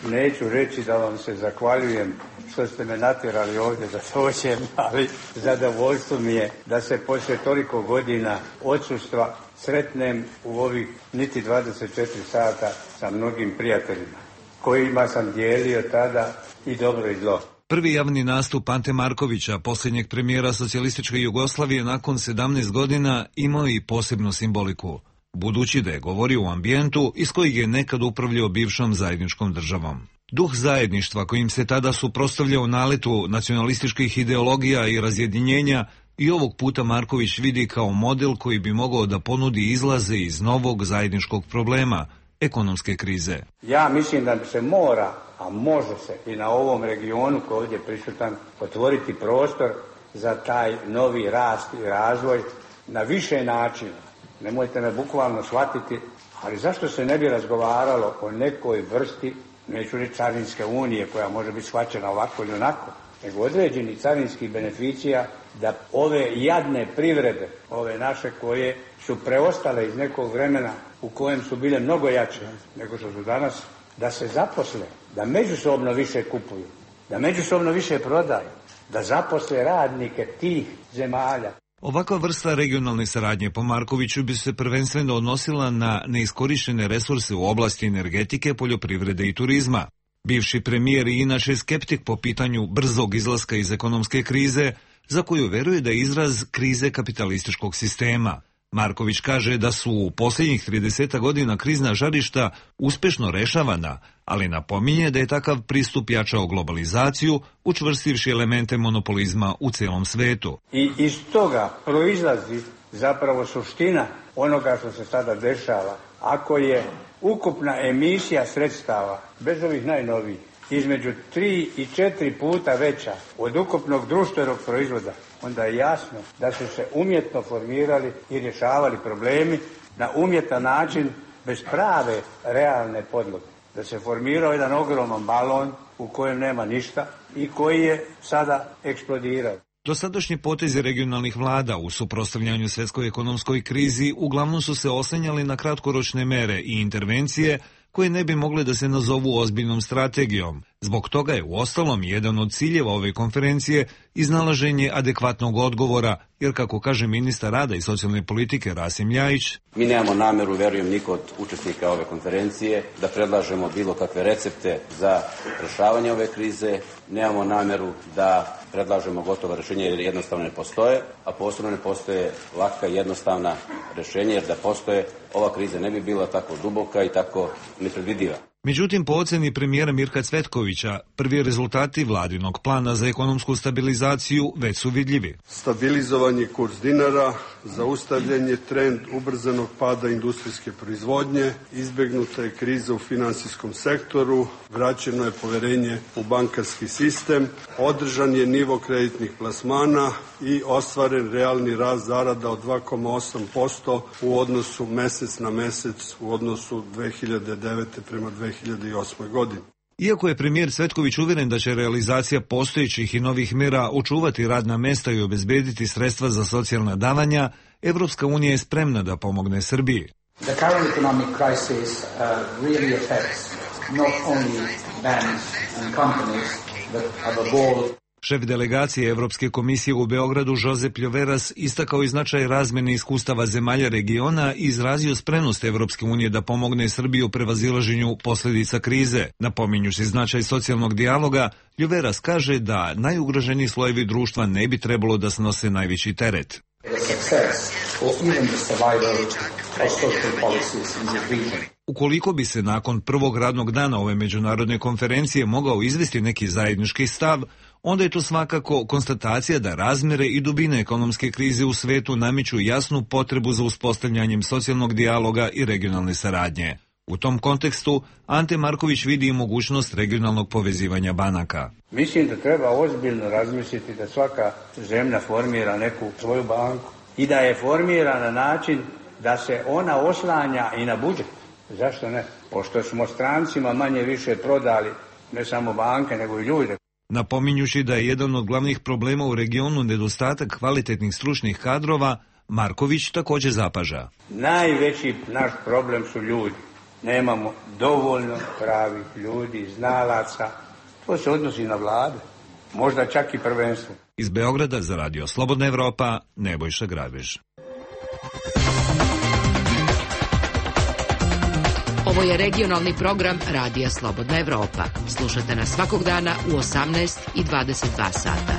Neću reći da vam se zahvaljujem što ste me natjerali ovdje da dođem, ali zadovoljstvo mi je da se poslije toliko godina odsustva sretnem u ovih niti dvadeset četiri sata sa mnogim prijateljima, kojima sam dijelio tada i dobro i zlo. Prvi javni nastup Ante Markovića, posljednjeg premijera socijalističke Jugoslavije nakon sedamnaest godina, imao i posebnu simboliku, budući da je govorio u ambijentu iz kojeg je nekad upravljao bivšom zajedničkom državom. Duh zajedništva kojim se tada suprotstavljao naletu nacionalističkih ideologija i razjedinjenja i ovog puta Marković vidi kao model koji bi mogao da ponudi izlaze iz novog zajedničkog problema, ekonomske krize. Ja mislim da se mora, a može se i na ovom regionu koji ovdje prisutan, otvoriti prostor za taj novi rast i razvoj na više načina. Nemojte me bukvalno shvatiti, ali zašto se ne bi razgovaralo o nekoj vrsti, neću reći carinske unije koja može biti shvaćena ovako ili onako, nego određeni carinskih beneficija da ove jadne privrede, ove naše koje su preostale iz nekog vremena u kojem su bile mnogo jače nego što su danas, da se zaposle, da međusobno više kupuju, da međusobno više prodaju, da zaposle radnike tih zemalja. Ovakva vrsta regionalne saradnje po Markoviću bi se prvenstveno odnosila na neiskorištene resurse u oblasti energetike, poljoprivrede i turizma. Bivši premijer je inače skeptik po pitanju brzog izlaska iz ekonomske krize, za koju veruje da je izraz krize kapitalističkog sistema. Marković kaže da su u posljednjih trideset godina krizna žarišta uspješno rešavana, ali napominje da je takav pristup jačao globalizaciju, učvrstivši elemente monopolizma u cijelom svetu. I iz toga proizlazi zapravo suština onoga što se sada dešava. Ako je ukupna emisija sredstava, bez ovih najnovijih, između tri i četiri puta veća od ukupnog društvenog proizvoda, onda je jasno da su se umjetno formirali i rješavali problemi na umjetan način bez prave realne podloge. Da se formirao jedan ogroman balon u kojem nema ništa i koji je sada eksplodirao. Dosadašnji potezi regionalnih vlada u suprotstavljanju svjetskoj ekonomskoj krizi uglavnom su se oslanjali na kratkoročne mere i intervencije koje ne bi mogle da se nazovu ozbiljnom strategijom. Zbog toga je uostalom jedan od ciljeva ove konferencije iznalaženje adekvatnog odgovora, jer kako kaže ministar rada i socijalne politike Rasim Ljajić, mi nemamo nameru, verujem niko od učesnika ove konferencije, da predlažemo bilo kakve recepte za rješavanje ove krize, nemamo nameru da predlažemo gotova rješenja jer jednostavno ne postoje, a posebno ne postoje laka i jednostavna rješenja, jer da postoje, ova kriza ne bi bila tako duboka i tako nepredvidiva. Međutim, po oceni premijera Mirka Cvetkovića, prvi rezultati vladinog plana za ekonomsku stabilizaciju već su vidljivi. Stabilizovan je kurs dinara, zaustavljen je trend ubrzanog pada industrijske proizvodnje, izbjegnuta je kriza u financijskom sektoru, vraćeno je povjerenje u bankarski sistem, održan je nivo kreditnih plasmana i ostvaren realni rast zarada od dva zarez osam posto u odnosu mjesec na mjesec u odnosu dve hiljade devete prema dve hiljade osme godini. Iako je premijer Cvetković uvjeren da će realizacija postojećih i novih mjera očuvati radna mjesta i obezbediti sredstva za socijalna davanja, Evropska unija je spremna da pomogne Srbiji. The current economic crisis uh, really affects not only banks and companies, but above all Šef delegacije Evropske komisije u Beogradu Josep Ljoveras istakao i značaj razmjene iskustava zemalja regiona i izrazio spremnost Evropske unije da pomogne Srbiji u prevazilaženju posljedica krize. Napominjući značaj socijalnog dijaloga, Ljoveras kaže da najugroženiji slojevi društva ne bi trebalo da snose najveći teret. Ukoliko bi se nakon prvog radnog dana ove međunarodne konferencije mogao izvesti neki zajednički stav, onda je to svakako konstatacija da razmjere i dubine ekonomske krize u svetu nameću jasnu potrebu za uspostavljanjem socijalnog dijaloga i regionalne saradnje. U tom kontekstu Ante Marković vidi i mogućnost regionalnog povezivanja banaka. Mislim da treba ozbiljno razmisliti da svaka zemlja formira neku svoju banku i da je formira na način da se ona oslanja i na budžet. Zašto ne? Pošto smo strancima manje više prodali ne samo banke nego i ljude. Napominjući da je jedan od glavnih problema u regionu nedostatak kvalitetnih stručnih kadrova, Marković također zapaža. Najveći naš problem su ljudi. Nemamo dovoljno pravih ljudi, znalaca. To se odnosi na vlade. Možda čak i prvenstvo. Iz Beograda za Radio Slobodna Evropa, Nebojša Grabež. Ovo je regionalni program Radija Slobodna Evropa. Slušate nas svakog dana u osamnaest i dvadeset dva sata.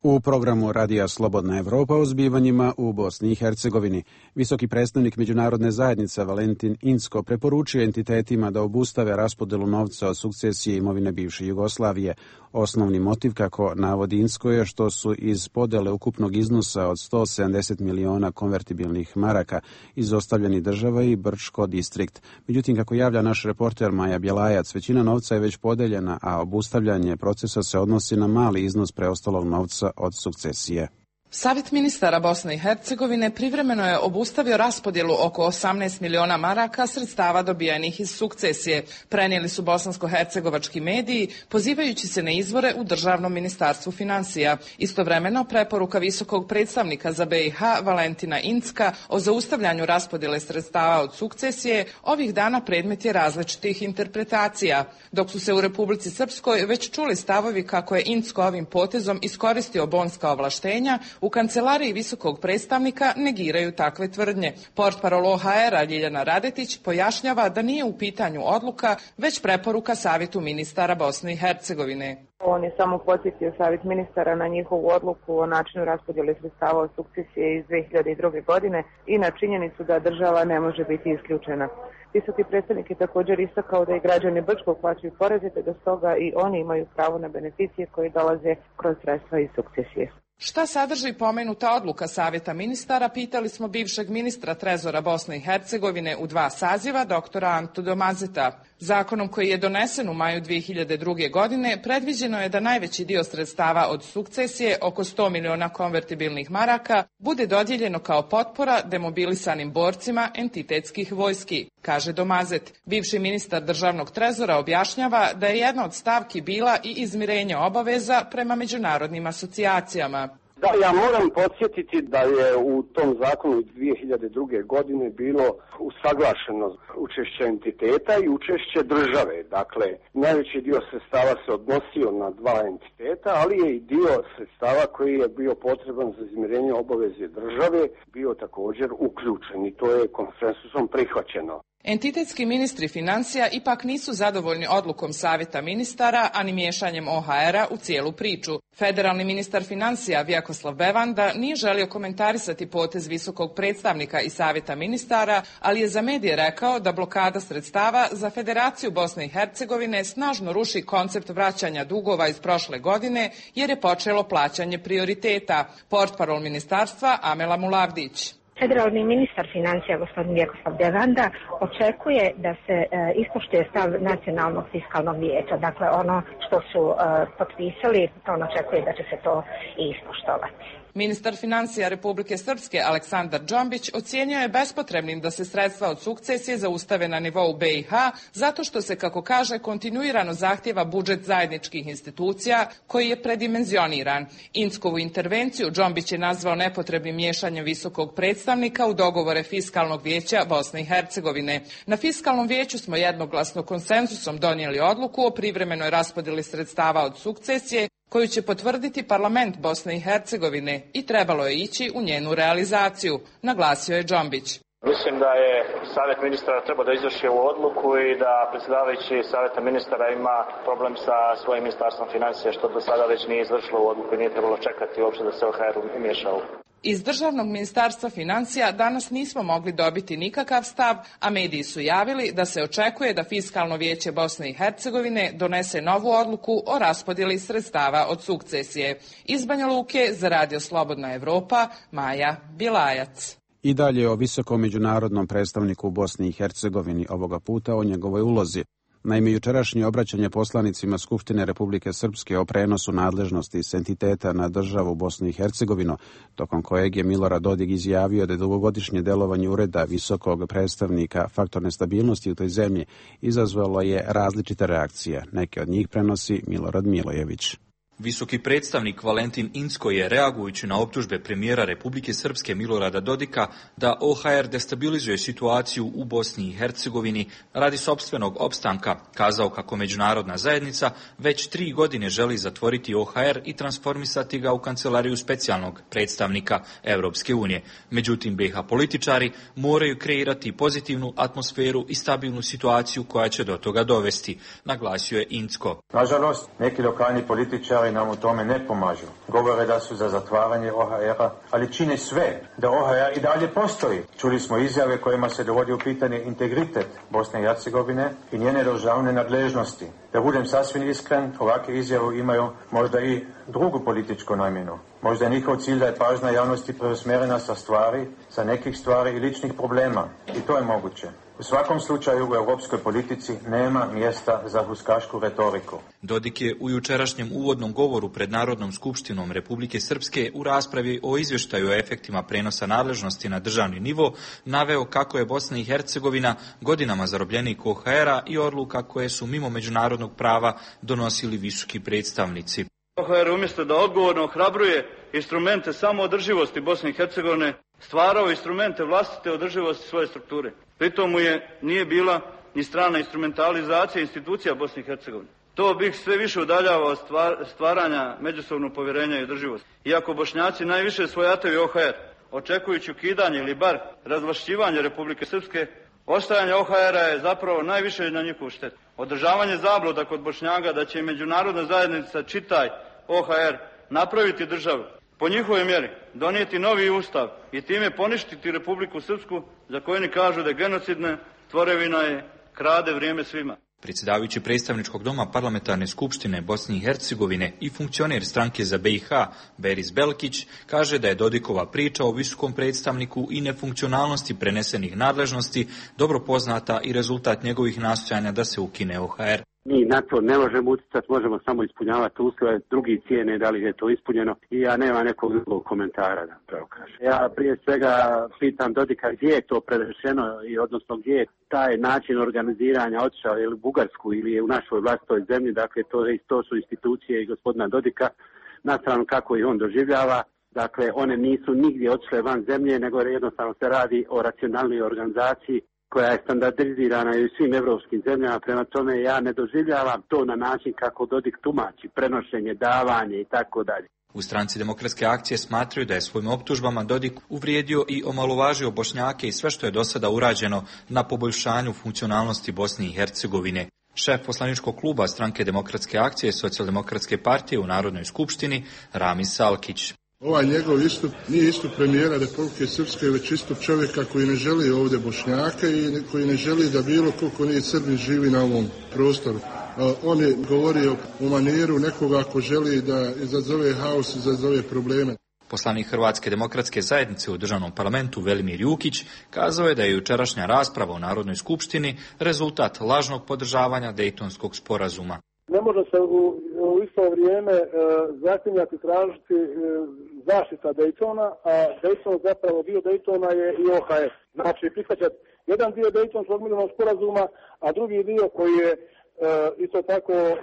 U programu Radija Slobodna Evropa o zbivanjima u Bosni i Hercegovini visoki predstavnik međunarodne zajednice Valentin Incko preporučio entitetima da obustave raspodelu novca od sukcesije imovine bivše Jugoslavije. Osnovni motiv, kako navodi Incko, je što su iz podele ukupnog iznosa od sto sedamdeset miliona konvertibilnih maraka izostavljeni država i Brčko distrikt. Međutim, kako javlja naš reporter Maja Bjelajac, većina novca je već podeljena, a obustavljanje procesa se odnosi na mali iznos preostalog novca od sukcesije. Savjet ministara Bosne i Hercegovine privremeno je obustavio raspodjelu oko osamnaest miliona maraka sredstava dobijenih iz sukcesije, prenijeli su bosansko-hercegovački mediji, pozivajući se na izvore u Državnom ministarstvu financija. Istovremeno, preporuka visokog predstavnika za B i H Valentina Incka o zaustavljanju raspodjele sredstava od sukcesije ovih dana predmet je različitih interpretacija, dok su se u Republici Srpskoj već čuli stavovi kako je Incko ovim potezom iskoristio bonska ovlaštenja, U kancelariji visokog predstavnika negiraju takve tvrdnje. Portparol O H R-a Ljiljana Radetić pojašnjava da nije u pitanju odluka, već preporuka Savjetu ministara Bosne i Hercegovine. On je samo podsjetio Savjet ministara na njihovu odluku o načinu raspodjele sredstava od sukcesije iz dve hiljade druge. godine i na činjenicu da država ne može biti isključena. Visoki predstavnik je također istakao da i građani Brčkog plaćaju poreze, te da stoga i oni imaju pravo na beneficije koje dolaze kroz sredstva iz sukcesije. Šta sadrži pomenuta odluka Savjeta ministara, pitali smo bivšeg ministra trezora Bosne i Hercegovine u dva saziva, doktora Antu Domazeta. Zakonom koji je donesen u maju dve hiljade druge. godine predviđeno je da najveći dio sredstava od sukcesije, oko sto miliona konvertibilnih maraka, bude dodijeljeno kao potpora demobilisanim borcima entitetskih vojski, kaže Domazet. Bivši ministar državnog trezora objašnjava da je jedna od stavki bila i izmirenje obaveza prema međunarodnim asocijacijama. Da, ja moram podsjetiti da je u tom zakonu iz dve hiljade druge. godine bilo usaglašeno učešće entiteta i učešće države. Dakle, najveći dio sredstava se odnosio na dva entiteta, ali je i dio sredstava koji je bio potreban za izmirenje obaveze države bio također uključen i to je konsensusom prihvaćeno. Entitetski ministri financija ipak nisu zadovoljni odlukom Savjeta ministara, ani miješanjem O H R-a u cijelu priču. Federalni ministar financija Vjakoslav Bevanda nije želio komentarisati potez visokog predstavnika i Savjeta ministara, ali je za medije rekao da blokada sredstava za Federaciju Bosne i Hercegovine snažno ruši koncept vraćanja dugova iz prošle godine, jer je počelo plaćanje prioriteta. Portparol ministarstva Amela Mulavdić. Federalni ministar financija gospodin Vjakoslav Bevanda očekuje da se e, ispoštuje stav nacionalnog fiskalnog vijeća. Dakle, ono što su e, potpisali, on očekuje da će se to i ispoštovati. Ministar financija Republike Srpske Aleksandar Džombić ocijenio je bespotrebnim da se sredstva od sukcesije zaustave na nivou B i H, zato što se, kako kaže, kontinuirano zahtjeva budžet zajedničkih institucija koji je predimenzioniran. Inckovu intervenciju Džombić je nazvao nepotrebnim miješanjem visokog predstavnika u dogovore Fiskalnog vijeća Bosne i Hercegovine. Na Fiskalnom vijeću smo jednoglasno konsenzusom donijeli odluku o privremenoj raspodjeli sredstava od sukcesije, koju će potvrditi parlament Bosne i Hercegovine i trebalo je ići u njenu realizaciju, naglasio je Džombić. Mislim da je Savjet ministara trebao da izvrši ovu odluku i da predsjedavajući Savjeta ministara ima problem sa svojim ministarstvom financija, što do sada već nije izvršilo u odluku i nije trebalo čekati uopće da se O H R umiješao. Iz Državnog ministarstva financija danas nismo mogli dobiti nikakav stav, a mediji su javili da se očekuje da Fiskalno vijeće Bosne i Hercegovine donese novu odluku o raspodjeli sredstava od sukcesije. Iz Banja Luke za Radio Slobodna Evropa, Maja Bilajac. I dalje o visokom međunarodnom predstavniku u Bosni i Hercegovini, ovoga puta o njegovoj ulozi. Naime, jučerašnje obraćanje poslanicima Skupštine Republike Srpske o prenosu nadležnosti s entiteta na državu Bosnu i Hercegovinu, tokom kojeg je Milorad Dodik izjavio da je dugogodišnje delovanje ureda visokog predstavnika faktor nestabilnosti u toj zemlji, izazvalo je različite reakcije. Neke od njih prenosi Milorad Milojević. Visoki predstavnik Valentin Incko je, reagujući na optužbe premijera Republike Srpske Milorada Dodika da O H R destabilizuje situaciju u Bosni i Hercegovini radi sopstvenog opstanka, kazao kako međunarodna zajednica već tri godine želi zatvoriti O H R i transformisati ga u kancelariju specijalnog predstavnika Europske unije. Međutim, B i H političari moraju kreirati pozitivnu atmosferu i stabilnu situaciju koja će do toga dovesti, naglasio je Incko. Nažalost, neki lokalni političari nam u tome ne pomažu. Govore da su za zatvaranje O H R-a, ali čine sve da O H R i dalje postoji. Čuli smo izjave kojima se dovodi u pitanje integritet Bosne i Hercegovine i njene državne nadležnosti. Da budem sasvim iskren, ovakve izjave imaju možda i drugu političku namjenu. Možda je njihov cilj da je pažnja javnosti preusmjerena sa stvari, sa nekih stvari i ličnih problema. I to je moguće. U svakom slučaju u europskoj politici nema mjesta za huskašku retoriku. Dodik je u jučerašnjem uvodnom govoru pred Narodnom skupštinom Republike Srpske u raspravi o izvještaju o efektima prenosa nadležnosti na državni nivo naveo kako je Bosna i Hercegovina godinama zarobljenik O H R-a i odluka koje su mimo međunarodnog prava donosili visoki predstavnici. O H R umjesto da odgovorno ohrabruje instrumente samoodrživosti Bosne i Hercegovine, stvarao instrumente vlastite održivosti svoje strukture. Pritom mu je nije bila ni strana instrumentalizacija institucija Bosne i Hercegovine. To bih sve više udaljava od stvaranja međusobnog povjerenja i održivosti. Iako Bošnjaci najviše svojataju O H R, očekujući ukidanje ili bar razvlašćivanje Republike Srpske, ostajanje O H R-a je zapravo najviše na njihovu štetu. Održavanje zabluda kod Bošnjaka da će međunarodna zajednica, čitaj O H R, napraviti državu, po njihovoj mjeri donijeti novi ustav i time poništiti Republiku Srpsku, za koju oni kažu da je genocidna, tvorevina je, krade vrijeme svima. Predsjedavajući predstavničkog doma parlamentarne skupštine Bosne i Hercegovine i funkcioner stranke za B i H Beris Belkić kaže da je Dodikova priča o visokom predstavniku i nefunkcionalnosti prenesenih nadležnosti dobro poznata i rezultat njegovih nastojanja da se ukine O H R. Mi na to ne možemo utjecati, možemo samo ispunjavati uslove, drugi cijene da li je to ispunjeno i ja nema nekog drugog komentara da pravo kažem. Ja prije svega pitam Dodika gdje je to predrešeno i odnosno gdje je taj način organiziranja otišao ili u Bugarsku ili je u našoj vlastitoj zemlji, dakle to, to su institucije i gospodina Dodika, na stranu kako ih on doživljava. Dakle, one nisu nigdje otišle van zemlje, nego jednostavno se radi o racionalnoj organizaciji koja je standardizirana i u svim evropskim zemljama, prema tome ja ne doživljavam to na način kako Dodik tumači, prenošenje, davanje i tako dalje. U stranci Demokratske akcije smatraju da je svojim optužbama Dodik uvrijedio i omalovažio Bošnjake i sve što je do sada urađeno na poboljšanju funkcionalnosti Bosne i Hercegovine. Šef poslaničkog kluba stranke Demokratske akcije Socijaldemokratske partije u Narodnoj skupštini Ramis Salkić. Ovaj njegov istup nije istup premijera Republike Srpske, već istup čovjeka koji ne želi ovdje Bošnjaka i koji ne želi da bilo koliko nije Srbin živi na ovom prostoru. On je govorio u manijeru nekoga ko želi da izazove haos, izazove probleme. Poslanik Hrvatske demokratske zajednice u državnom parlamentu Velimir Jukić kazao je da je jučerašnja rasprava u Narodnoj skupštini rezultat lažnog podržavanja Dejtonskog sporazuma. Ne može se u, u isto vrijeme e, zaklinjati tražiti e, zaštita Dejtona, a Dejton zapravo dio Dejtona je i O H R. Znači prihvaćati jedan dio Dejtonskog mirovnog sporazuma, a drugi dio koji je e, isto tako o,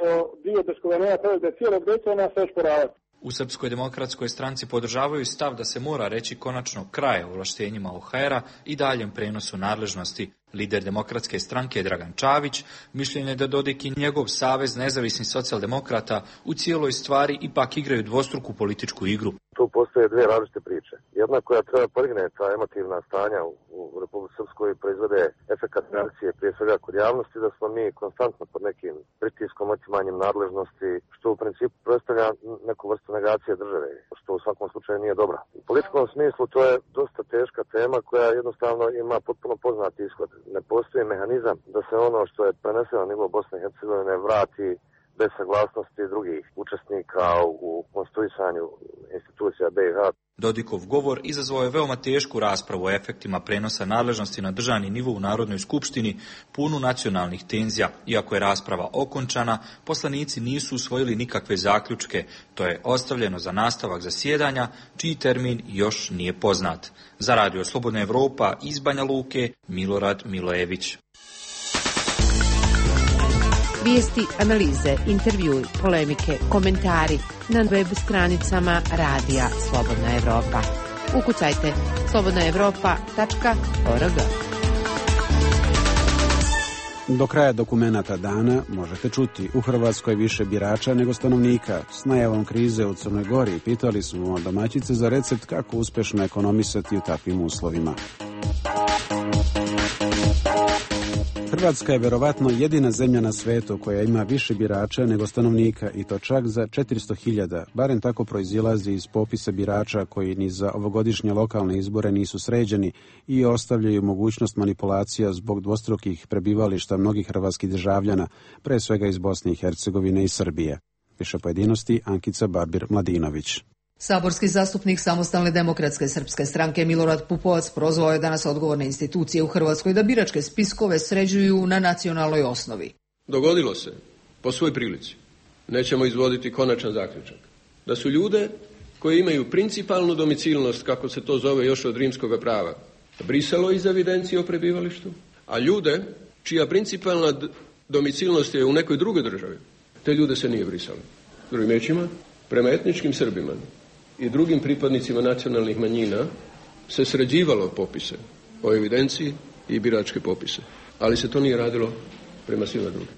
dio bez kovenja provedbe cijelog Dejtona se osporavati. U Srpskoj demokratskoj stranci podržavaju stav da se mora reći konačno kraj ovlaštenjima O H R-a i daljem prenosu nadležnosti. Lider demokratske stranke Dragan Čavić mišljenje je da Dodik i njegov savez nezavisnih socijaldemokrata u cijeloj stvari ipak igraju dvostruku političku igru. Tu postoje dvije različite priče. Jedna koja treba podigne ta emotivna stanja u, u Republike Srpskoj i proizvode efekat reakcije prije svega kod javnosti, da smo mi konstantno pod nekim pritiskom, otimanjem nadležnosti, što u principu predstavlja neku vrstu negacije države, što u svakom slučaju nije dobra. U političkom smislu to je dosta teška tema koja jednostavno ima potpuno poznati ishod. Ne postoji mehanizam da se ono što je preneseno na nivo Bosne i Hercegovine vrati bez saglasnosti drugih učesnika u konstituisanju institucija B i H. Dodikov govor izazvao je veoma tešku raspravu o efektima prenosa nadležnosti na državni nivo u Narodnoj skupštini, punu nacionalnih tenzija. Iako je rasprava okončana, poslanici nisu usvojili nikakve zaključke. To je ostavljeno za nastavak zasjedanja, čiji termin još nije poznat. Za Radio Slobodna Evropa iz Banja Luke, Milorad Milojević. Vijesti, analize, intervjui, polemike, komentari na web stranicama Radija Slobodna Evropa. Ukucajte slobodna evropa tačka org. Do kraja dokumenata dana možete čuti u Hrvatskoj više birača nego stanovnika. S najavom krize u Crnoj Gori pitali smo domaćice za recept kako uspješno ekonomisati u takvim uslovima. Hrvatska je verovatno jedina zemlja na svetu koja ima više birača nego stanovnika i to čak za četiristo hiljada, barem tako proizilazi iz popisa birača koji ni za ovogodišnje lokalne izbore nisu sređeni i ostavljaju mogućnost manipulacija zbog dvostrukih prebivališta mnogih hrvatskih državljana, pre svega iz Bosne i Hercegovine i Srbije. Više pojedinosti Ankica Barbir-Mladinović. Saborski zastupnik Samostalne demokratske srpske stranke Milorad Pupovac prozvao je danas odgovorne institucije u Hrvatskoj da biračke spiskove sređuju na nacionalnoj osnovi. Dogodilo se, po svoj prilici, nećemo izvoditi konačan zaključak, da su ljude koji imaju principalnu domicilnost, kako se to zove još od rimskog prava, brisalo iz evidencije o prebivalištu, a ljude čija principalna domicilnost je u nekoj drugoj državi, te ljude se nije brisalo. Drugim riječima, prema etničkim Srbima i drugim pripadnicima nacionalnih manjina se sređivalo popise o evidenciji i biračke popise, ali se to nije radilo prema svima drugim.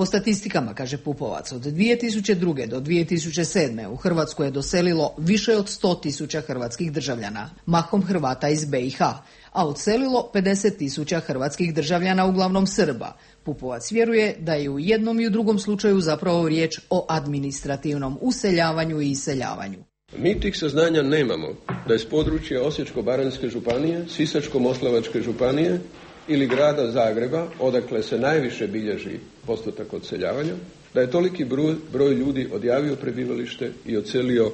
Po statistikama, kaže Pupovac, od dvije tisuće druge. do dvije tisuće sedme. u Hrvatsku je doselilo više od sto tisuća hrvatskih državljana, mahom Hrvata iz be i ha, a odselilo pedeset tisuća hrvatskih državljana, uglavnom Srba. Pupovac vjeruje da je u jednom i u drugom slučaju zapravo riječ o administrativnom useljavanju i iseljavanju. Mi tih saznanja nemamo da je s područja Osječko-baranjske županije, Sisačko-moslavačke županije ili grada Zagreba, odakle se najviše bilježi postotak odseljavanja, da je toliki broj, broj ljudi odjavio prebivalište i odselio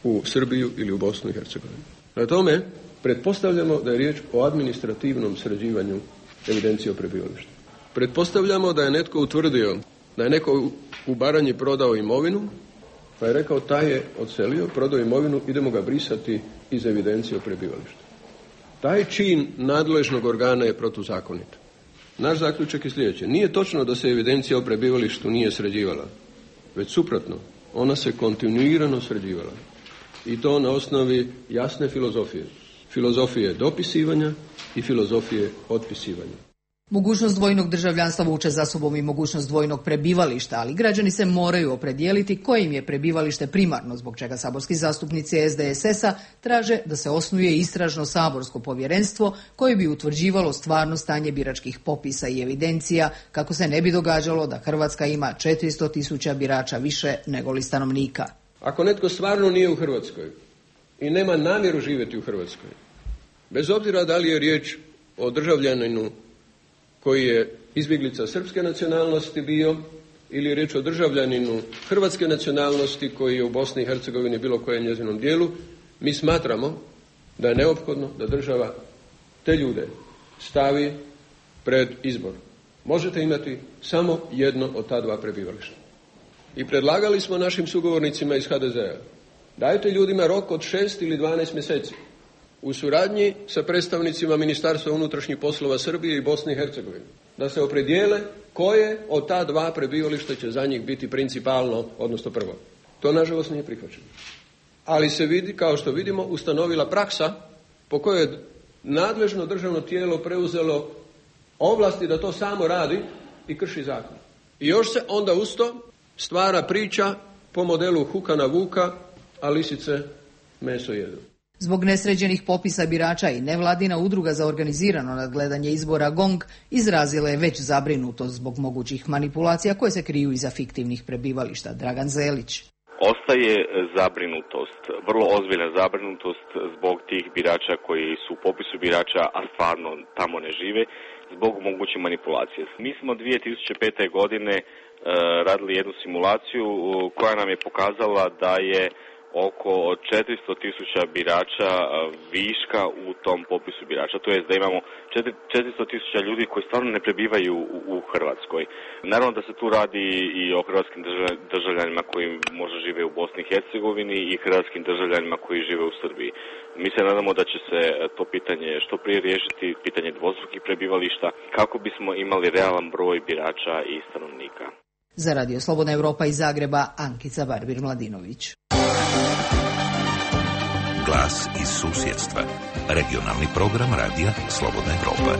u Srbiju ili u Bosnu i Hercegovinu. Na tome pretpostavljamo da je riječ o administrativnom sređivanju evidencije o prebivalištu. Pretpostavljamo da je netko utvrdio da je neko u Baranji prodao imovinu, pa je rekao taj je odselio, prodao imovinu, idemo ga brisati iz evidencije o prebivalištu. Taj čin nadležnog organa je protuzakonit. Naš zaključak je sljedeći. Nije točno da se evidencija o prebivalištu nije sređivala, već suprotno, ona se kontinuirano sređivala. I to na osnovi jasne filozofije. Filozofije dopisivanja i filozofije otpisivanja. Mogućnost dvojnog državljanstva vuče za sobom i mogućnost dvojnog prebivališta, ali građani se moraju opredijeliti kojim je prebivalište primarno, zbog čega saborski zastupnici es de es es a traže da se osnuje istražno saborsko povjerenstvo koje bi utvrđivalo stvarno stanje biračkih popisa i evidencija, kako se ne bi događalo da Hrvatska ima četiristo tisuća birača više nego li stanovnika. Ako netko stvarno nije u Hrvatskoj i nema namjeru živjeti u Hrvatskoj, bez obzira da li je riječ o državljaninu koji je izbjeglica srpske nacionalnosti bio ili je riječ o državljaninu hrvatske nacionalnosti koji je u Bosni i Hercegovini bilo kojem njezinom dijelu, mi smatramo da je neophodno da država te ljude stavi pred izbor. Možete imati samo jedno od ta dva prebivališta. I predlagali smo našim sugovornicima iz ha de zea, dajte ljudima rok od šest ili dvanaest mjeseci u suradnji sa predstavnicima Ministarstva unutrašnjih poslova Srbije i Bosne i Hercegovine, da se opredijele koje od ta dva prebivališta će za njih biti principalno, odnosno prvo. To nažalost nije prihvaćeno. Ali se vidi, kao što vidimo, ustanovila praksa po kojoj je nadležno državno tijelo preuzelo ovlasti da to samo radi i krši zakon. I još se onda uz to stvara priča po modelu Huka na Vuka, a lisice meso jedu. Zbog nesređenih popisa birača i nevladina udruga za organizirano nadgledanje izbora GONG izrazila je već zabrinutost zbog mogućih manipulacija koje se kriju iza fiktivnih prebivališta. Dragan Zelić. Ostaje zabrinutost, vrlo ozbiljna zabrinutost zbog tih birača koji su u popisu birača, a stvarno tamo ne žive, zbog moguće manipulacije. Mi smo dvije tisuće pete. godine e, radili jednu simulaciju koja nam je pokazala da je oko četiristo tisuća birača viška u tom popisu birača. To jest da imamo četiristo tisuća ljudi koji stvarno ne prebivaju u, u Hrvatskoj. Naravno da se tu radi i o hrvatskim državljanima koji možda žive u Bosni i Hercegovini i hrvatskim državljanima koji žive u Srbiji. Mi se nadamo da će se to pitanje što prije riješiti, pitanje dvostrukih prebivališta, kako bismo imali realan broj birača i stanovnika. Za Radio Slobodna Evropa iz Zagreba, Ankica Barbir-Mladinović. Glas iz susjedstva. Regionalni program Radija Slobodna Evropa.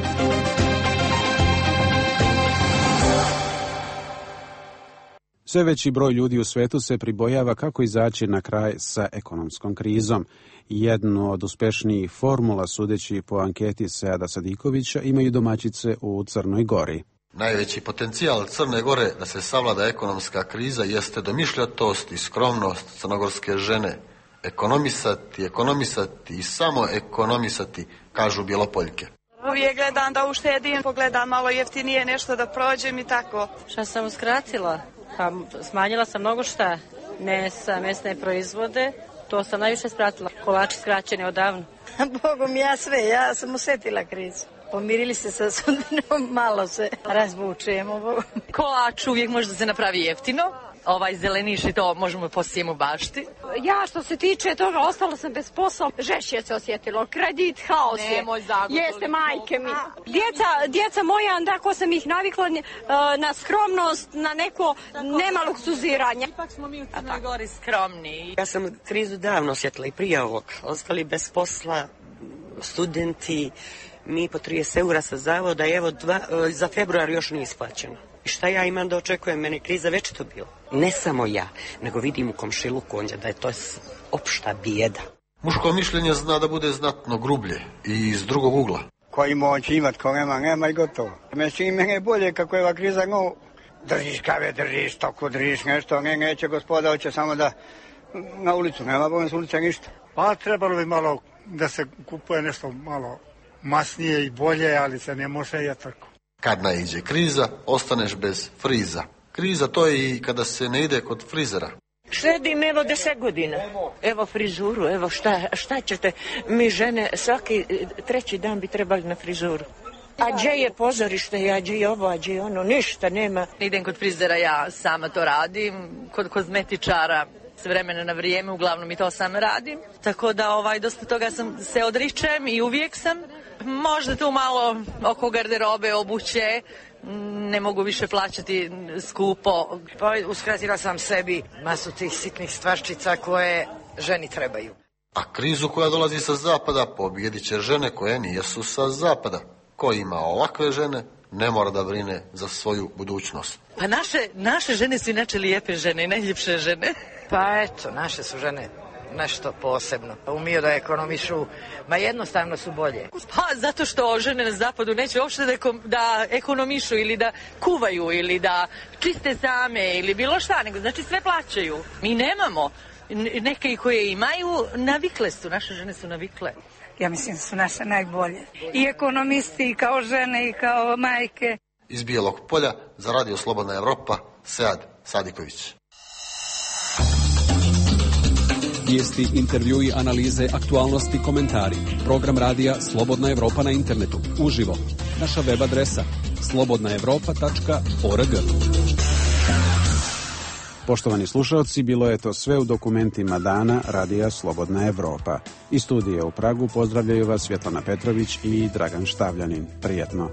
Sve veći broj ljudi u svetu se pribojava kako izaći na kraj sa ekonomskom krizom. Jednu od uspešnijih formula, sudeći po anketi Seada Sadikovića, imaju domaćice u Crnoj Gori. Najveći potencijal Crne Gore da se savlada ekonomska kriza jeste domišljatost i skromnost crnogorske žene. Ekonomisati, ekonomisati i samo ekonomisati, kažu Bjelopoljke. Uvijek gledam da uštedim, pogledam malo jeftinije nešto da prođem i tako. Šta sam uskratila? Pa smanjila sam mnogo šta. Mesa, mesne proizvode, to sam najviše skratila. Kolači skraćeni odavno. Bogom ja sve, ja sam osjetila krizu. Pomirili se sa sudbinom, malo se razvučujemo. Kolač uvijek može da se napravi jeftino. Ovaj zeleniš i to možemo postijem u bašti. Ja što se tiče toga, ostala sam bez posla. Žešće se osjetilo, kredit, haos je. Nemoj zagotovo. Jeste majke mi. Djeca, djeca moja, tako sam ih navikla na skromnost, na neko nema luksuziranja. Ipak smo mi u Crnoj Gori skromni. Ja sam krizu davno osjetila i prije ovog. Ostali bez posla, studenti, mi po trideset eura sa zavoda, evo dva, za februar još nije isplaćeno. I šta ja imam da očekujem, meni kriza već to bila. Ne samo ja, nego vidim u komšiluku ondje da je to opšta bijeda. Muško mišljenje zna da bude znatno grublje i iz drugog ugla. Koji moći imat, ko nema, nema i gotovo. Mislim, mene je bolje kako je ova kriza, no, držiš kave, držiš toku, držiš nešto, ne, neće gospoda, hoće samo da na ulicu, nema bojom s ulice ništa. Pa trebalo bi malo da se kupuje nešto malo masnije i bolje, ali se ne može je tako. Kad naiđe kriza, ostaneš bez friza. Kriza to je i kada se ne ide kod frizera. Šedim evo deset godina, evo frizuru, evo šta, šta ćete, mi žene svaki treći dan bi trebali na frizuru. A gdje je pozorište, a gdje je ovo, a gdje je ono, ništa nema. Idem kod frizera, ja sama to radim, kod kozmetičara s vremena na vrijeme, uglavnom i to sam radim. Tako da ovaj, dosta toga sam se odričem i uvijek sam. Možda tu malo oko garderobe, obuće, ne mogu više plaćati skupo. Pa uskratila sam sebi masu tih sitnih stvarčica koje ženi trebaju. A krizu koja dolazi sa zapada pobijedit će žene koje nijesu sa zapada. Ko ima ovakve žene, ne mora da brine za svoju budućnost. Pa naše, naše žene su inače lijepe žene i najljepše žene. Pa eto, naše su žene nešto posebno. Umiju da ekonomišu, ma jednostavno su bolje. Pa zato što žene na zapadu neće uopšte da, da ekonomišu ili da kuvaju ili da čiste same ili bilo šta, nego znači sve plaćaju. Mi nemamo. Neke koje imaju, navikle su, naše žene su navikle. Ja mislim da su naše najbolje. I ekonomisti, i kao žene, i kao majke. Iz Bijelog Polja za Radio Slobodna Evropa, Sead Sadiković. Vijesti, intervjui, analize, aktualnosti, komentari. Program radija Slobodna Evropa na internetu. Uživo. Naša web adresa slobodna evropa tačka org. Poštovani slušalci, bilo je to sve u dokumentima dana Radija Slobodna Evropa. Iz studija u Pragu pozdravljaju vas Svjetlana Petrović i Dragan Štavljanin. Prijetno.